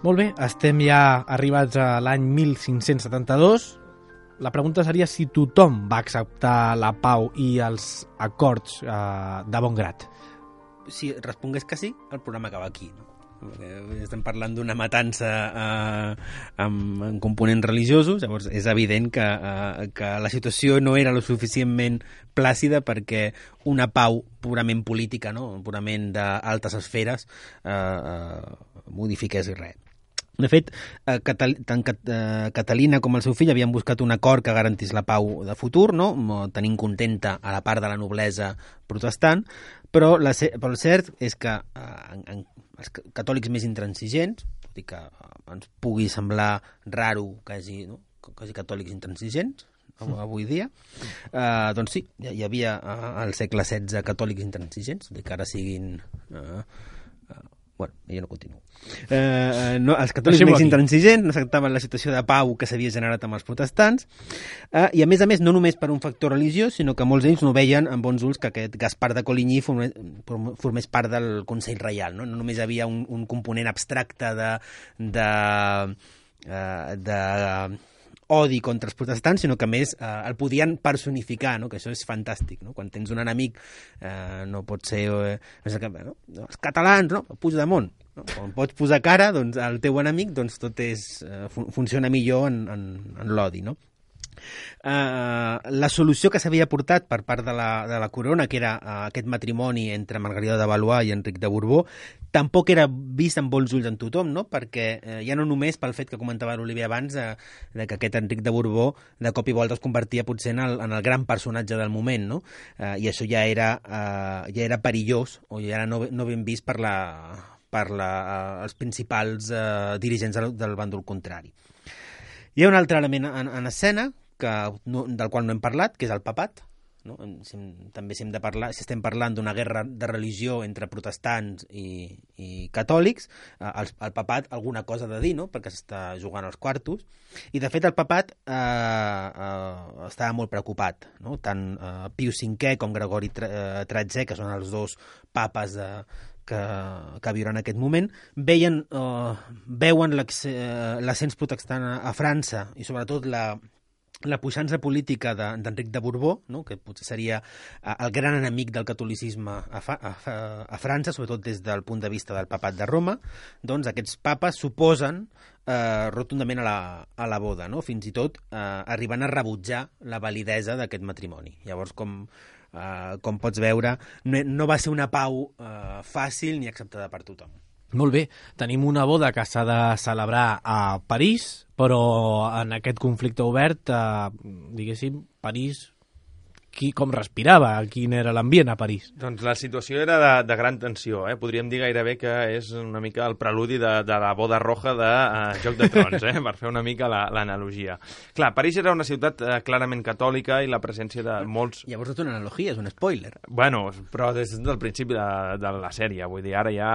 Molt bé, estem ja arribats a l'any mil cinc-cents setanta-dos. La pregunta seria si tothom va acceptar la pau i els acords eh, de bon grat. Si respongués que sí, el programa acaba aquí, no? Estem parlant d'una matança eh, amb, amb components religiosos, llavors és evident que, eh, que la situació no era lo suficientment plàcida perquè una pau purament política, no? Purament d'altes esferes, eh, eh, modifiqués res. De fet, eh, Catal tant Cat eh, Catalina com el seu fill havien buscat un acord que garantís la pau de futur, no? Tenint contenta a la part de la noblesa protestant, però, la, però el cert és que eh, en, en, els catòlics més intransigents, tot i que ens pugui semblar raro que hi hagi, no? que hi hagi catòlics intransigents avui dia, eh, doncs sí, hi havia eh, al segle setze catòlics intransigents, tot i que ara siguin... Eh, Bueno, jo no continuo. Eh, no, els catòlics més intransigents no acceptaven la situació de pau que s'havia generat amb els protestants eh, i, a més a més, no només per un factor religiós, sinó que molts d'ells no veien amb bons ulls que aquest Gaspar de Coligny formés, formés part del Consell Reial. No, no només hi havia un, un component abstracte de... de, eh, de odi contra els protestants, sinó que a més eh, el podien personificar, no? Que això és fantàstic, no? Quan tens un enemic eh, no pot ser eh, no? els catalans, no? Puigdemont, no? Quan pots posar cara doncs, al teu enemic, doncs tot és, eh, fun funciona millor en, en, en l'odi, no? Uh, la solució que s'havia portat per part de la, de la corona, que era uh, aquest matrimoni entre Margarida de Valois i Enric de Borbó, tampoc era vist amb bons ulls en tothom, no? Perquè uh, ja no només pel fet que comentava l'Oliver abans uh, de que aquest Enric de Borbó de cop i volta es convertia potser en el, en el gran personatge del moment, no? Uh, i això ja era, uh, ja era perillós o ja era no, no ben vist per, la, per la, uh, els principals uh, dirigents del, del bàndol contrari. Hi ha un altre element en, en escena que no, del qual no hem parlat, que és el papat. No? Si, també si, hem de parlar, si estem parlant d'una guerra de religió entre protestants i, i catòlics, eh, el, el papat alguna cosa ha de dir, no? Perquè s'està jugant als quartos. I, de fet, el papat eh, eh, estava molt preocupat. No? Tant eh, Pius cinquè com Gregori tretzè, que són els dos papes de, que, que viuen en aquest moment, veien, eh, veuen l'ascens protestant a, a França i, sobretot, la la puixança política d'Enric de, de Borbó, no? Que potser seria uh, el gran enemic del catolicisme a, fa, a, a França, sobretot des del punt de vista del papat de Roma, doncs aquests papes s'oposen uh, rotundament a la, a la boda, no? Fins i tot uh, arribant a rebutjar la validesa d'aquest matrimoni. Llavors, com, uh, com pots veure, no, no va ser una pau uh, fàcil ni acceptada per tothom. Molt bé, tenim una boda que s'ha de celebrar a París, però en aquest conflicte obert, eh, diguéssim, París qui, com respirava, quin era l'ambient a París. Doncs la situació era de, de gran tensió, eh? Podríem dir gairebé que és una mica el preludi de, de la boda roja de uh, Joc de Trons, eh? Per fer una mica l'analogia. Clar, París era una ciutat uh, clarament catòlica i la presència de molts... Llavors és una analogia, és un spoiler. Bueno, però des del principi de, de la sèrie, vull dir, ara ja...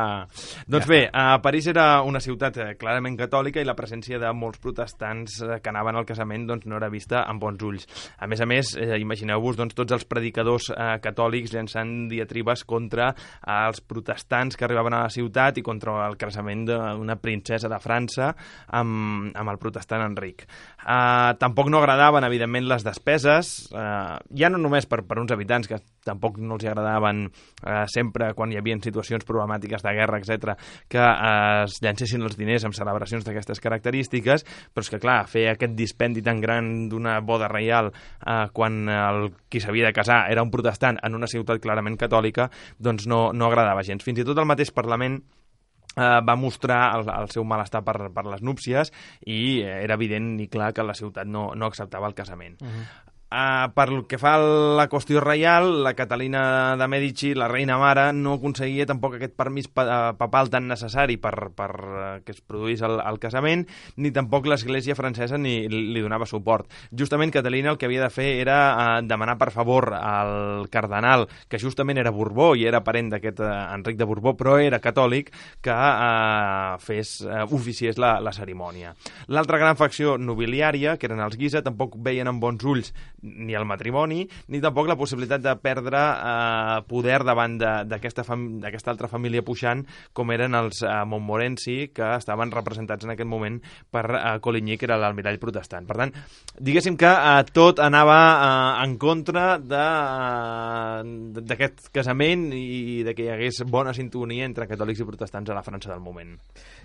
Doncs ja bé, uh, París era una ciutat uh, clarament catòlica i la presència de molts protestants uh, que anaven al casament doncs, no era vista amb bons ulls. A més a més, eh, imagineu-vos doncs, tots els predicadors eh, catòlics llançant diatribes contra eh, els protestants que arribaven a la ciutat i contra el casament d'una princesa de França amb, amb el protestant Enric. Eh, tampoc no agradaven, evidentment, les despeses, eh, ja no només per, per uns habitants que tampoc no els agradaven eh, sempre quan hi havia situacions problemàtiques de guerra, etcètera, que eh, es llancessin els diners amb celebracions d'aquestes característiques, però és que, clar, fer aquest dispendi tan gran d'una boda reial eh, quan el qui s'havia de casar era un protestant en una ciutat clarament catòlica, doncs no, no agradava gens. Fins i tot el mateix Parlament Uh, va mostrar el, el seu malestar per, per les núpcies i era evident i clar que la ciutat no, no acceptava el casament. Uh-huh. Uh, per el que fa a la qüestió reial, la Catalina de Mèdici, la reina mare, no aconseguia tampoc aquest permís pa papal tan necessari per, per uh, que es produís el, el casament, ni tampoc l'Església francesa ni li donava suport. Justament Catalina el que havia de fer era uh, demanar per favor al cardenal, que justament era Borbó i era parent d'aquest uh, Enric de Borbó, però era catòlic, que uh, fes, uh, oficiés la, la cerimònia. L'altra gran facció nobiliària, que eren els Guisa, tampoc veien amb bons ulls ni el matrimoni, ni tampoc la possibilitat de perdre eh, poder davant d'aquesta altra família puixant, com eren els eh, Montmorency, que estaven representats en aquest moment per eh, Coligny, que era l'almirall protestant. Per tant, diguéssim que eh, tot anava eh, en contra d'aquest eh, casament i de que hi hagués bona sintonia entre catòlics i protestants a la França del moment.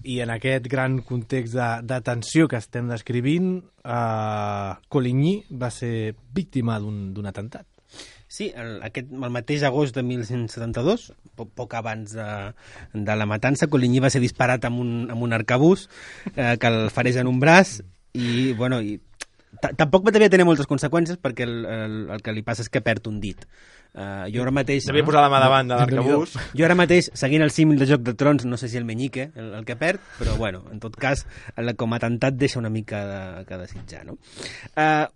I en aquest gran context de, de tensió que estem descrivint, eh, Coligny va ser víctima d'un atemptat. Sí, el, aquest, el mateix agost de mil cent setanta-dos, poc, poc abans de, de la matança, Coligny va ser disparat amb un, amb un arcabús eh, que el farés en un braç i, bueno, i tampoc devia tenir moltes conseqüències perquè el, el, el que li passa és que perd un dit. Uh, jo ara mateix... Devia posar la mà davant de l'arcabús. Jo ara mateix, seguint el símil de Joc de Trons, no sé si el menyique, el, el que perd, però bueno, en tot cas, el, com a atemptat deixa una mica de, que desitjar, no? Uh,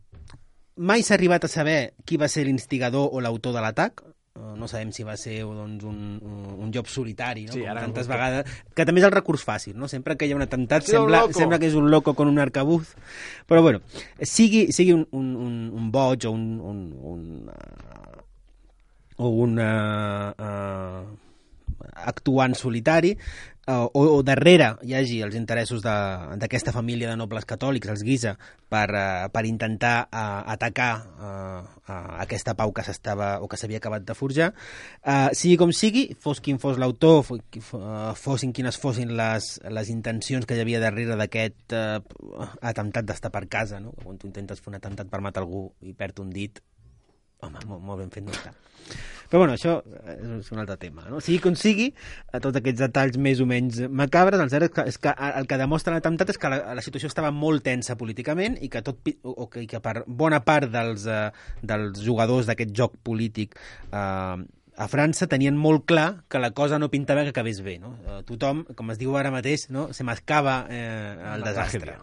mai s'ha arribat a saber qui va ser l'instigador o l'autor de l'atac. Uh, no sabem si va ser doncs, un, un, un job solitari, no? Sí, com tantes vegades, que també és el recurs fàcil, no? Sempre que hi ha un atemptat sembla, un sembla que és un loco con un arcabuz, però bueno, sigui, sigui un, un, un, un boig o un, un, un uh, o un uh, uh, actuant solitari, uh, o, o darrere hi hagi els interessos d'aquesta família de nobles catòlics, els Guisa, per, uh, per intentar uh, atacar uh, uh, aquesta pau que s'estava o que s'havia acabat de forjar. Uh, sigui com sigui, fos quin fos l'autor, uh, fossin quines fossin les, les intencions que hi havia darrere d'aquest uh, atemptat d'estar per casa, no? Quan tu intentes fer un atemptat per matar algú i perd un dit, home, molt, molt ben fet no està. Però bueno, això és un altre tema, no? Sigui com sigui, a tots aquests detalls més o menys macabres, el cert és que el que demostra l'atemptat és que la, la situació estava molt tensa políticament i que, tot, o que, que per bona part dels, uh, dels jugadors d'aquest joc polític uh, a França tenien molt clar que la cosa no pintava que acabés bé, no? Uh, tothom, com es diu ara mateix, no? Se mascava eh, el desastre.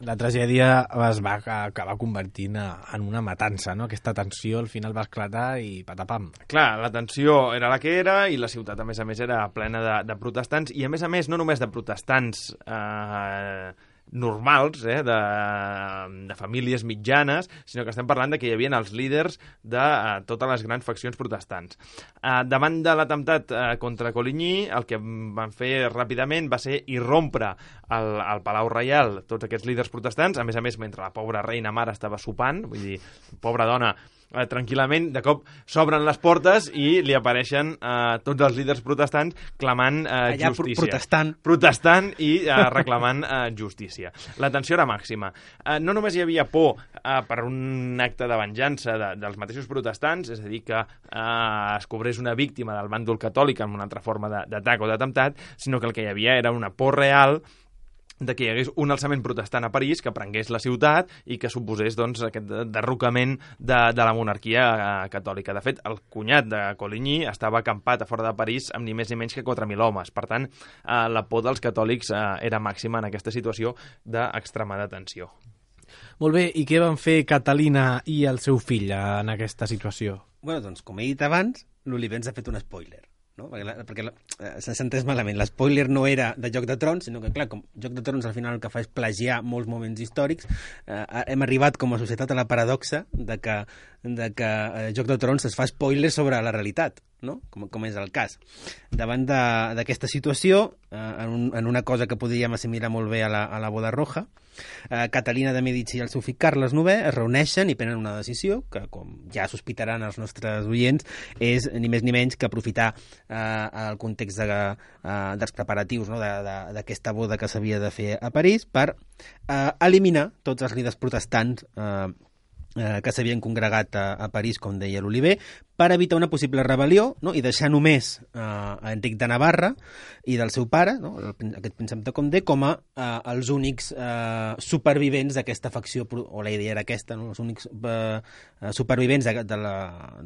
La tragèdia es va acabar convertint en una matança, no? Aquesta tensió al final va esclatar i patapam. Clar, la tensió era la que era i la ciutat, a més a més, era plena de, de protestants i, a més a més, no només de protestants eh, normals, eh, de, de famílies mitjanes, sinó que estem parlant de que hi havia els líders de uh, totes les grans faccions protestants. Uh, davant de l'atemptat uh, contra Coligny, el que van fer ràpidament va ser irrompre al, al Palau Reial tots aquests líders protestants, a més a més, mentre la pobra reina mare estava sopant, vull dir, pobra dona, Eh, tranquil·lament, de cop s'obren les portes i li apareixen eh, tots els líders protestants clamant eh, allà justícia. protestant. Protestant i eh, reclamant eh, justícia. La tensió era màxima. Eh, no només hi havia por eh, per un acte de venjança de, dels mateixos protestants, és a dir, que eh, es cobrés una víctima del bàndol catòlic en una altra forma d'atac o d'atemptat, sinó que el que hi havia era una por real de que hi hagués un alçament protestant a París que prengués la ciutat i que suposés doncs, aquest derrocament de, de la monarquia catòlica. De fet, el cunyat de Coligny estava acampat a fora de París amb ni més ni menys que quatre mil homes. Per tant, eh, la por dels catòlics eh, era màxima en aquesta situació d'extremada tensió. Molt bé, i què van fer Catalina i el seu fill en aquesta situació? Bueno, doncs, com he dit abans, l'Oliver ens ha fet un spoiler. No? Perquè, la, perquè la, s'ha entès malament. L'espoiler no era de Joc de Trons, sinó que, clar, com Joc de Trons al final el que fa és plagiar molts moments històrics, eh, hem arribat com a societat a la paradoxa de que, de que eh, Joc de Trons es fa spoiler sobre la realitat, no? com, com és el cas. Davant d'aquesta situació, eh, en, un, en una cosa que podríem assimilar molt bé a la, a la boda roja, eh, Catalina de Medici i el seu fill Carles novè es reuneixen i prenen una decisió que, com ja sospitaran els nostres oients, és ni més ni menys que aprofitar eh, el context de, eh, dels preparatius, no? d'aquesta boda que s'havia de fer a París per eh, eliminar tots els líders protestants eh, eh, que s'havien congregat a, a París, com deia l'Oliver, per evitar una possible rebel·lió, no? I deixar només eh, a Enric de Navarra i del seu pare, no? El, aquest príncep de Condé, com a eh, els únics eh, supervivents d'aquesta facció, o la idea era aquesta, no? Els únics eh, supervivents de, de, la,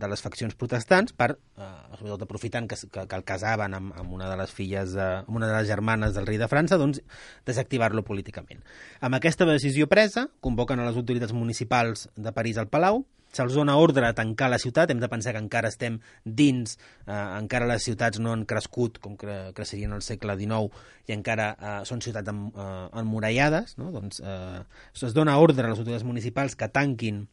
de les faccions protestants, per, eh, sobretot aprofitant que, que, que el casaven amb, amb una de les filles, de, amb una de les germanes del rei de França, doncs desactivar-lo políticament. Amb aquesta decisió presa, convoquen a les autoritats municipals de París al Palau, se'ls dona ordre a tancar la ciutat, hem de pensar que encara estem dins, eh, encara les ciutats no han crescut com cre creixerien al segle dinou i encara eh, són ciutats en, eh, emmurallades, no? Doncs eh, es dona ordre a les autoritats municipals que tanquin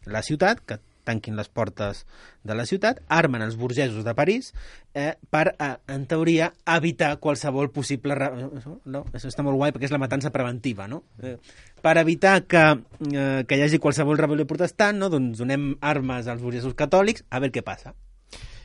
la ciutat, que tanquin les portes de la ciutat, armen els burgesos de París eh, per, eh, en teoria, evitar qualsevol possible... No? Això està molt guai perquè és la matança preventiva, no? Eh, per evitar que, eh, que hi hagi qualsevol rebel·lió protestant, no? Doncs donem armes als burgesos catòlics a veure què passa.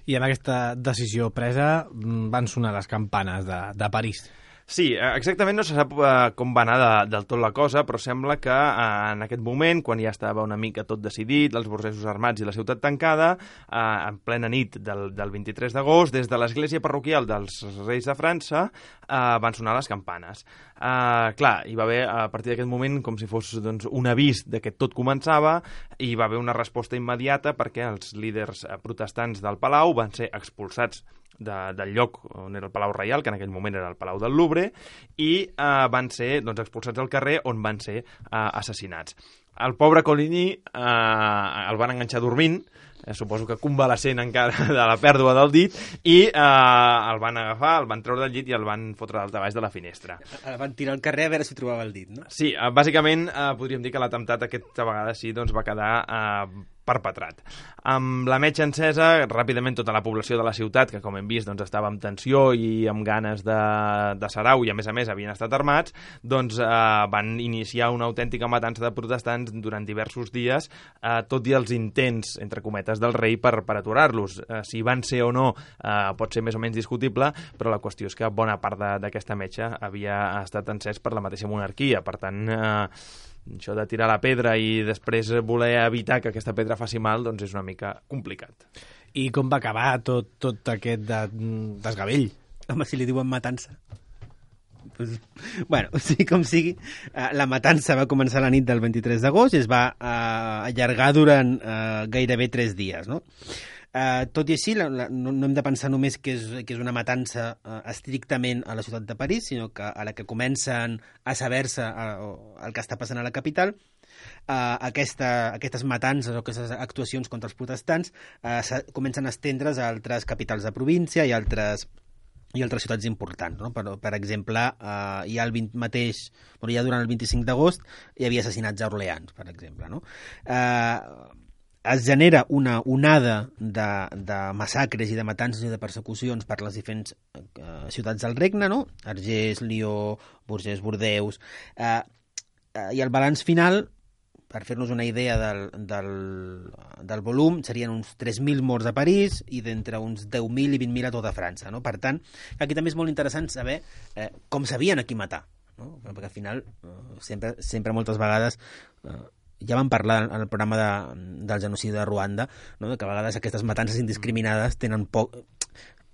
I amb aquesta decisió presa van sonar les campanes de, de París. Sí, exactament no se sap uh, com va anar de, del tot la cosa, però sembla que uh, en aquest moment, quan ja estava una mica tot decidit, els burgesos armats i la ciutat tancada, uh, en plena nit del, del vint-i-tres d'agost, des de l'església parroquial dels Reis de França, uh, van sonar les campanes. Uh, clar, hi va haver a partir d'aquest moment com si fos doncs, un avís de que tot començava i hi va haver una resposta immediata perquè els líders uh, protestants del Palau van ser expulsats de, del lloc on era el Palau Reial, que en aquell moment era el Palau del Louvre, i eh, van ser doncs, expulsats al carrer on van ser eh, assassinats. El pobre Coligny eh, el van enganxar dormint, eh, suposo que convalescent encara de la pèrdua del dit, i eh, el van agafar, el van treure del llit i el van fotre dalt baix de la finestra. El van tirar al carrer a veure si trobava el dit, no? Sí, eh, bàsicament eh, podríem dir que l'atemptat aquesta vegada sí doncs, va quedar eh, perpetrat. Amb la metxa encesa, ràpidament tota la població de la ciutat, que com hem vist doncs, estava amb tensió i amb ganes de, de sarau i a més a més havien estat armats, doncs eh, van iniciar una autèntica matança de protestants durant diversos dies, eh, tot i els intents, entre cometes, del rei per, per aturar-los. Eh, si van ser o no eh, pot ser més o menys discutible, però la qüestió és que bona part d'aquesta metxa havia estat encès per la mateixa monarquia. Per tant, eh, això de tirar la pedra i després voler evitar que aquesta pedra faci mal, doncs és una mica complicat. I com va acabar tot, tot aquest de, desgavell? Home, si li diuen matança. Pues, bueno, sí com sigui, eh, la matança va començar la nit del vint-i-tres d'agost i es va eh, allargar durant eh, gairebé tres dies, no? Uh, tot i així, la, la, no, no hem de pensar només que és, que és una matança uh, estrictament a la ciutat de París, sinó que a la que comencen a saber-se uh, el que està passant a la capital, uh, aquesta, aquestes matances o aquestes actuacions contra els protestants uh, comencen a estendre's a altres capitals de província i altres i altres ciutats importants, no? Per, per exemple, uh, hi ha el vint mateix, bueno, ja durant el vint-i-cinc d'agost hi havia assassinats a Orleans, per exemple, no? Uh, es genera una onada de, de massacres i de matances i de persecucions per les diferents eh, ciutats del regne, no? Argés, Lió, Bourges, Bordeus... Eh, eh, I el balanç final, per fer-nos una idea del, del, del volum, serien uns tres mil morts a París i d'entre uns deu mil i vint mil a tota França, no? Per tant, aquí també és molt interessant saber eh, com sabien a qui matar, no? Perquè al final, eh, sempre, sempre moltes vegades... Eh, ja vam parlar en el programa de, del genocidi de Ruanda, no? Que a vegades aquestes matances indiscriminades tenen poc,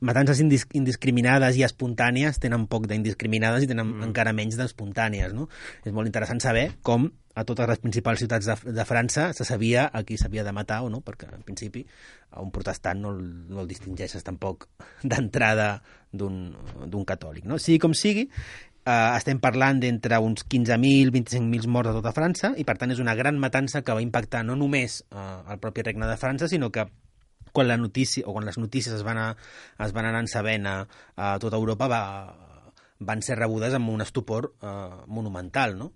matances indis indiscriminades i espontànies tenen poc d'indiscriminades i tenen mm. encara menys d'espontànies, no? És molt interessant saber com a totes les principals ciutats de, de França se sabia a qui s'havia de matar o no, perquè en principi a un protestant no el, no el distingeixes tampoc d'entrada d'un catòlic, no? Sigui com sigui, Uh, estem parlant d'entre uns quinze mil, vint-i-cinc mil morts a tota França i per tant és una gran matança que va impactar no només uh, el propi regne de França, sinó que quan la notícia o quan les notícies es van, a, es van anar sabent a, a tota Europa va, van ser rebudes amb un estupor uh, monumental, no?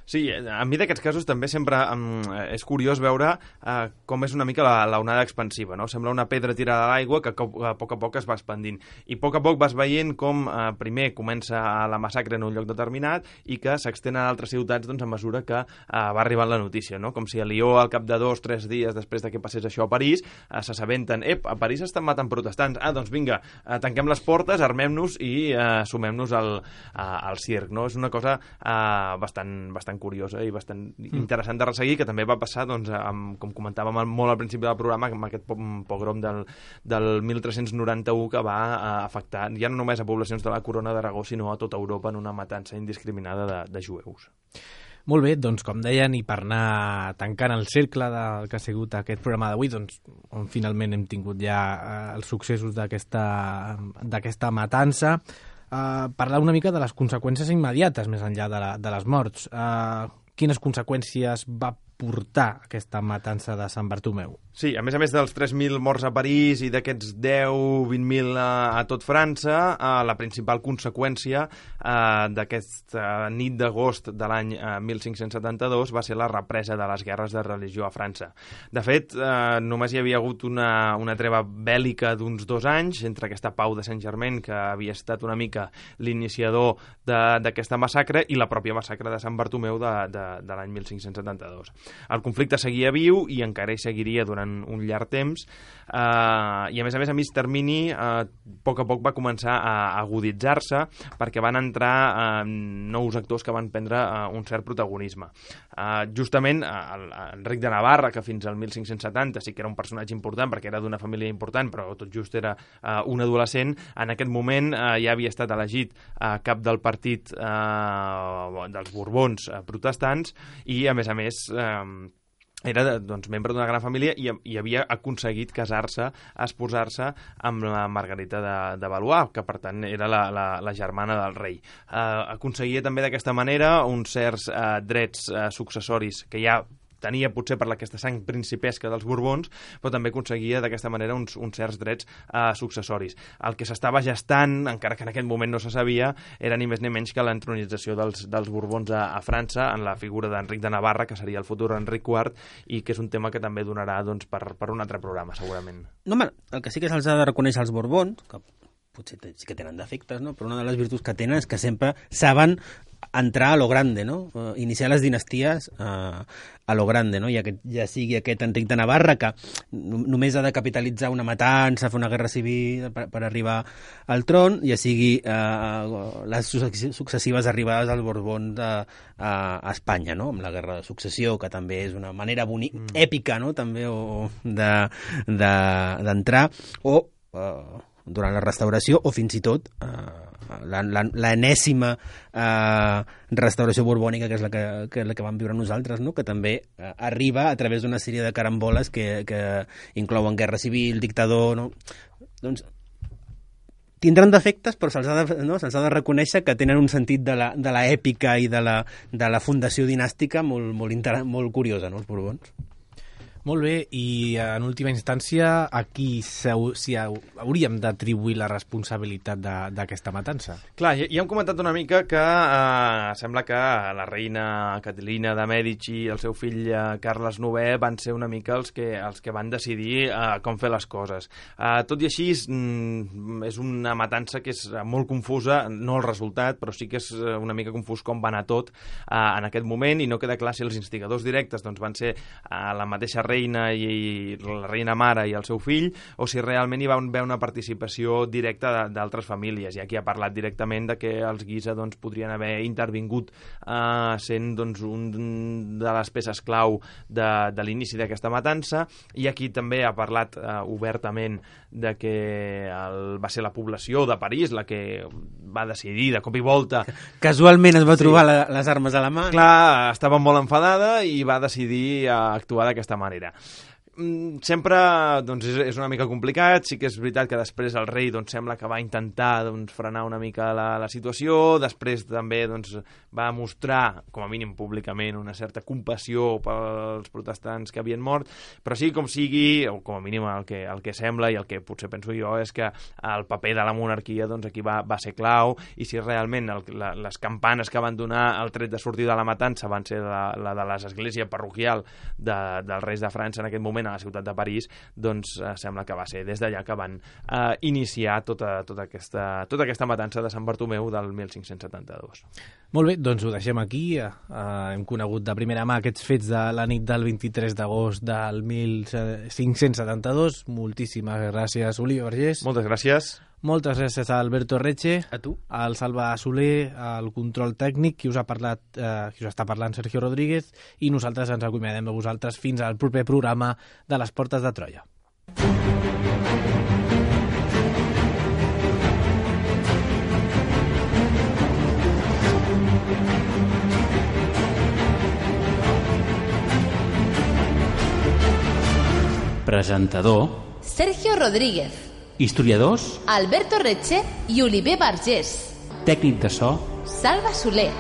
Sí, a mi d'aquests casos també sempre um, és curiós veure uh, com és una mica la, la onada expansiva, no? Sembla una pedra tirada a l'aigua que a poc a poc es va expandint. I a poc a poc vas veient com uh, primer comença la massacre en un lloc determinat i que s'extén a altres ciutats doncs, a mesura que uh, va arribant la notícia, no? Com si a Lió, al cap de dos, tres dies després de que passés això a París, uh, s'assabenten, ep, a París estan matant protestants, ah, doncs vinga, uh, tanquem les portes, armem-nos i uh, sumem-nos al, uh, al circ, no? És una cosa uh, bastant, bastant curiosa i bastant mm. interessant de resseguir, que també va passar, doncs, amb, com comentàvem molt al principi del programa, amb aquest pogrom del, del mil tres-cents noranta-u que va uh, afectar ja no només a poblacions de la Corona d'Aragó, sinó a tota Europa en una matança indiscriminada de, de jueus. Molt bé, doncs com deien, i per anar tancant el cercle del que ha sigut aquest programa d'avui, doncs on finalment hem tingut ja uh, els successos d'aquesta matança, Uh, parlar una mica de les conseqüències immediates més enllà de, la, de les morts. Uh, quines conseqüències va portar aquesta matança de Sant Bartomeu? Sí, a més a més dels tres mil morts a París i d'aquests deu a vint mil a, a tot França, eh, la principal conseqüència eh, d'aquesta nit d'agost de l'any eh, mil cinc-cents setanta-dos va ser la represa de les guerres de religió a França. De fet, eh, només hi havia hagut una, una treva bèl·lica d'uns dos anys entre aquesta pau de Saint-Germain, que havia estat una mica l'iniciador d'aquesta massacre, i la pròpia massacre de Sant Bartomeu de, de, de l'any mil cinc-cents setanta-dos. El conflicte seguia viu i encara hi seguiria durant un llarg temps, eh, i a més a més a mig termini eh, a poc a poc va començar a aguditzar-se perquè van entrar eh, nous actors que van prendre eh, un cert protagonisme. Eh, justament el, Enric de Navarra, que fins al mil cinc-cents setanta sí que era un personatge important perquè era d'una família important, però tot just era eh, un adolescent, en aquest moment eh, ja havia estat elegit eh, cap del partit eh, dels Borbons eh, protestants i a més a més eh, era doncs, membre d'una gran família i, i havia aconseguit casar-se, esposar-se amb la Margarita de, de Valois, que per tant era la, la, la germana del rei. Eh, aconseguia també d'aquesta manera uns certs eh, drets eh, successoris que ja tenia potser per aquesta sang principesca dels Borbons, però també aconseguia d'aquesta manera uns, uns certs drets eh, successoris. El que s'estava gestant, encara que en aquest moment no se sabia, era ni més ni menys que l'entronització dels, dels Borbons a, a França en la figura d'Enric de Navarra, que seria el futur Enric quart, i que és un tema que també donarà doncs, per, per un altre programa, segurament. No, home, el que sí que se'ls ha de reconèixer als Borbons, que potser sí que tenen defectes, no? Però una de les virtuts que tenen és que sempre saben entrar a lo grande, no? Uh, iniciar les dinasties uh, a lo grande, no? I aquest, ja sigui aquest Enric de Navarra, que només ha de capitalitzar una matança, fer una guerra civil per, per arribar al tron, ja sigui uh, les successives arribades als Borbons a, a, a Espanya, no? Amb la guerra de successió, que també és una manera bonic, mm. èpica, no? També o, de, de, d'entrar, o uh, durant la restauració, o fins i tot uh, l'enèsima uh, restauració borbònica, que és la que, que, és la que vam viure nosaltres, no? Que també uh, arriba a través d'una sèrie de caramboles que, que inclouen guerra civil, dictador, no? Doncs tindran defectes, però se'ls ha, de, no? se'ls ha de reconèixer que tenen un sentit de la, de la èpica i de la, de la fundació dinàstica molt, molt, inter... molt curiosa, no? Els Borbons. Molt bé, i en última instància, a qui si hauríem d'atribuir la responsabilitat d'aquesta matança? Clar, ja, ja hem comentat una mica que eh, sembla que la reina Caterina de Mèdici i el seu fill eh, Carles novè van ser una mica els que, els que van decidir eh, com fer les coses. Eh, tot i així, mm, és una matança que és molt confusa, no el resultat, però sí que és una mica confús com va anar tot eh, en aquest moment, i no queda clar si els instigadors directes doncs, van ser eh, la mateixa reina reina i la reina mare i el seu fill, o si realment hi va haver una participació directa d'altres famílies. I aquí ha parlat directament de que els Guisa doncs, podrien haver intervingut eh, sent doncs, un de les peces clau de, de l'inici d'aquesta matança, i aquí també ha parlat eh, obertament de que el, va ser la població de París la que va decidir de cop i volta. Casualment es va trobar sí. la, les armes a la mà. Clar, estava molt enfadada i va decidir actuar d'aquesta manera. Sempre doncs, és, és una mica complicat. Sí que és veritat que després el rei doncs, sembla que va intentar doncs, frenar una mica la, la situació. Després també doncs, va mostrar, com a mínim públicament, una certa compassió pels protestants que havien mort, però sí com sigui, o com a mínim el que, el que sembla i el que potser penso jo és que el paper de la monarquia doncs, aquí va, va ser clau, i si realment el, la, les campanes que van donar el tret de sortir de la matança van ser la, la de l'església parroquial de, dels reis de França en aquest moment a la ciutat de París, doncs eh, sembla que va ser des d'allà que van eh, iniciar tota, tota, aquesta, tota aquesta matança de Sant Bartomeu del mil cinc-cents setanta-dos. Molt bé, doncs ho deixem aquí. Eh, hem conegut de primera mà aquests fets de la nit del vint-i-tres d'agost del mil cinc-cents setanta-dos. Moltíssimes gràcies, Oliver Vergés. Moltes gràcies. Moltes gràcies a Alberto Reche, a tu, al Salva Soler, al control tècnic, qui us ha parlat, eh, qui us està parlant, Sergio Rodríguez, i nosaltres ens acomiadem a vosaltres fins al proper programa de les Portes de Troia. Presentador Sergio Rodríguez. Historiadors Alberto Reche i Oliver Vergés. Tècnic de so Salva Soler.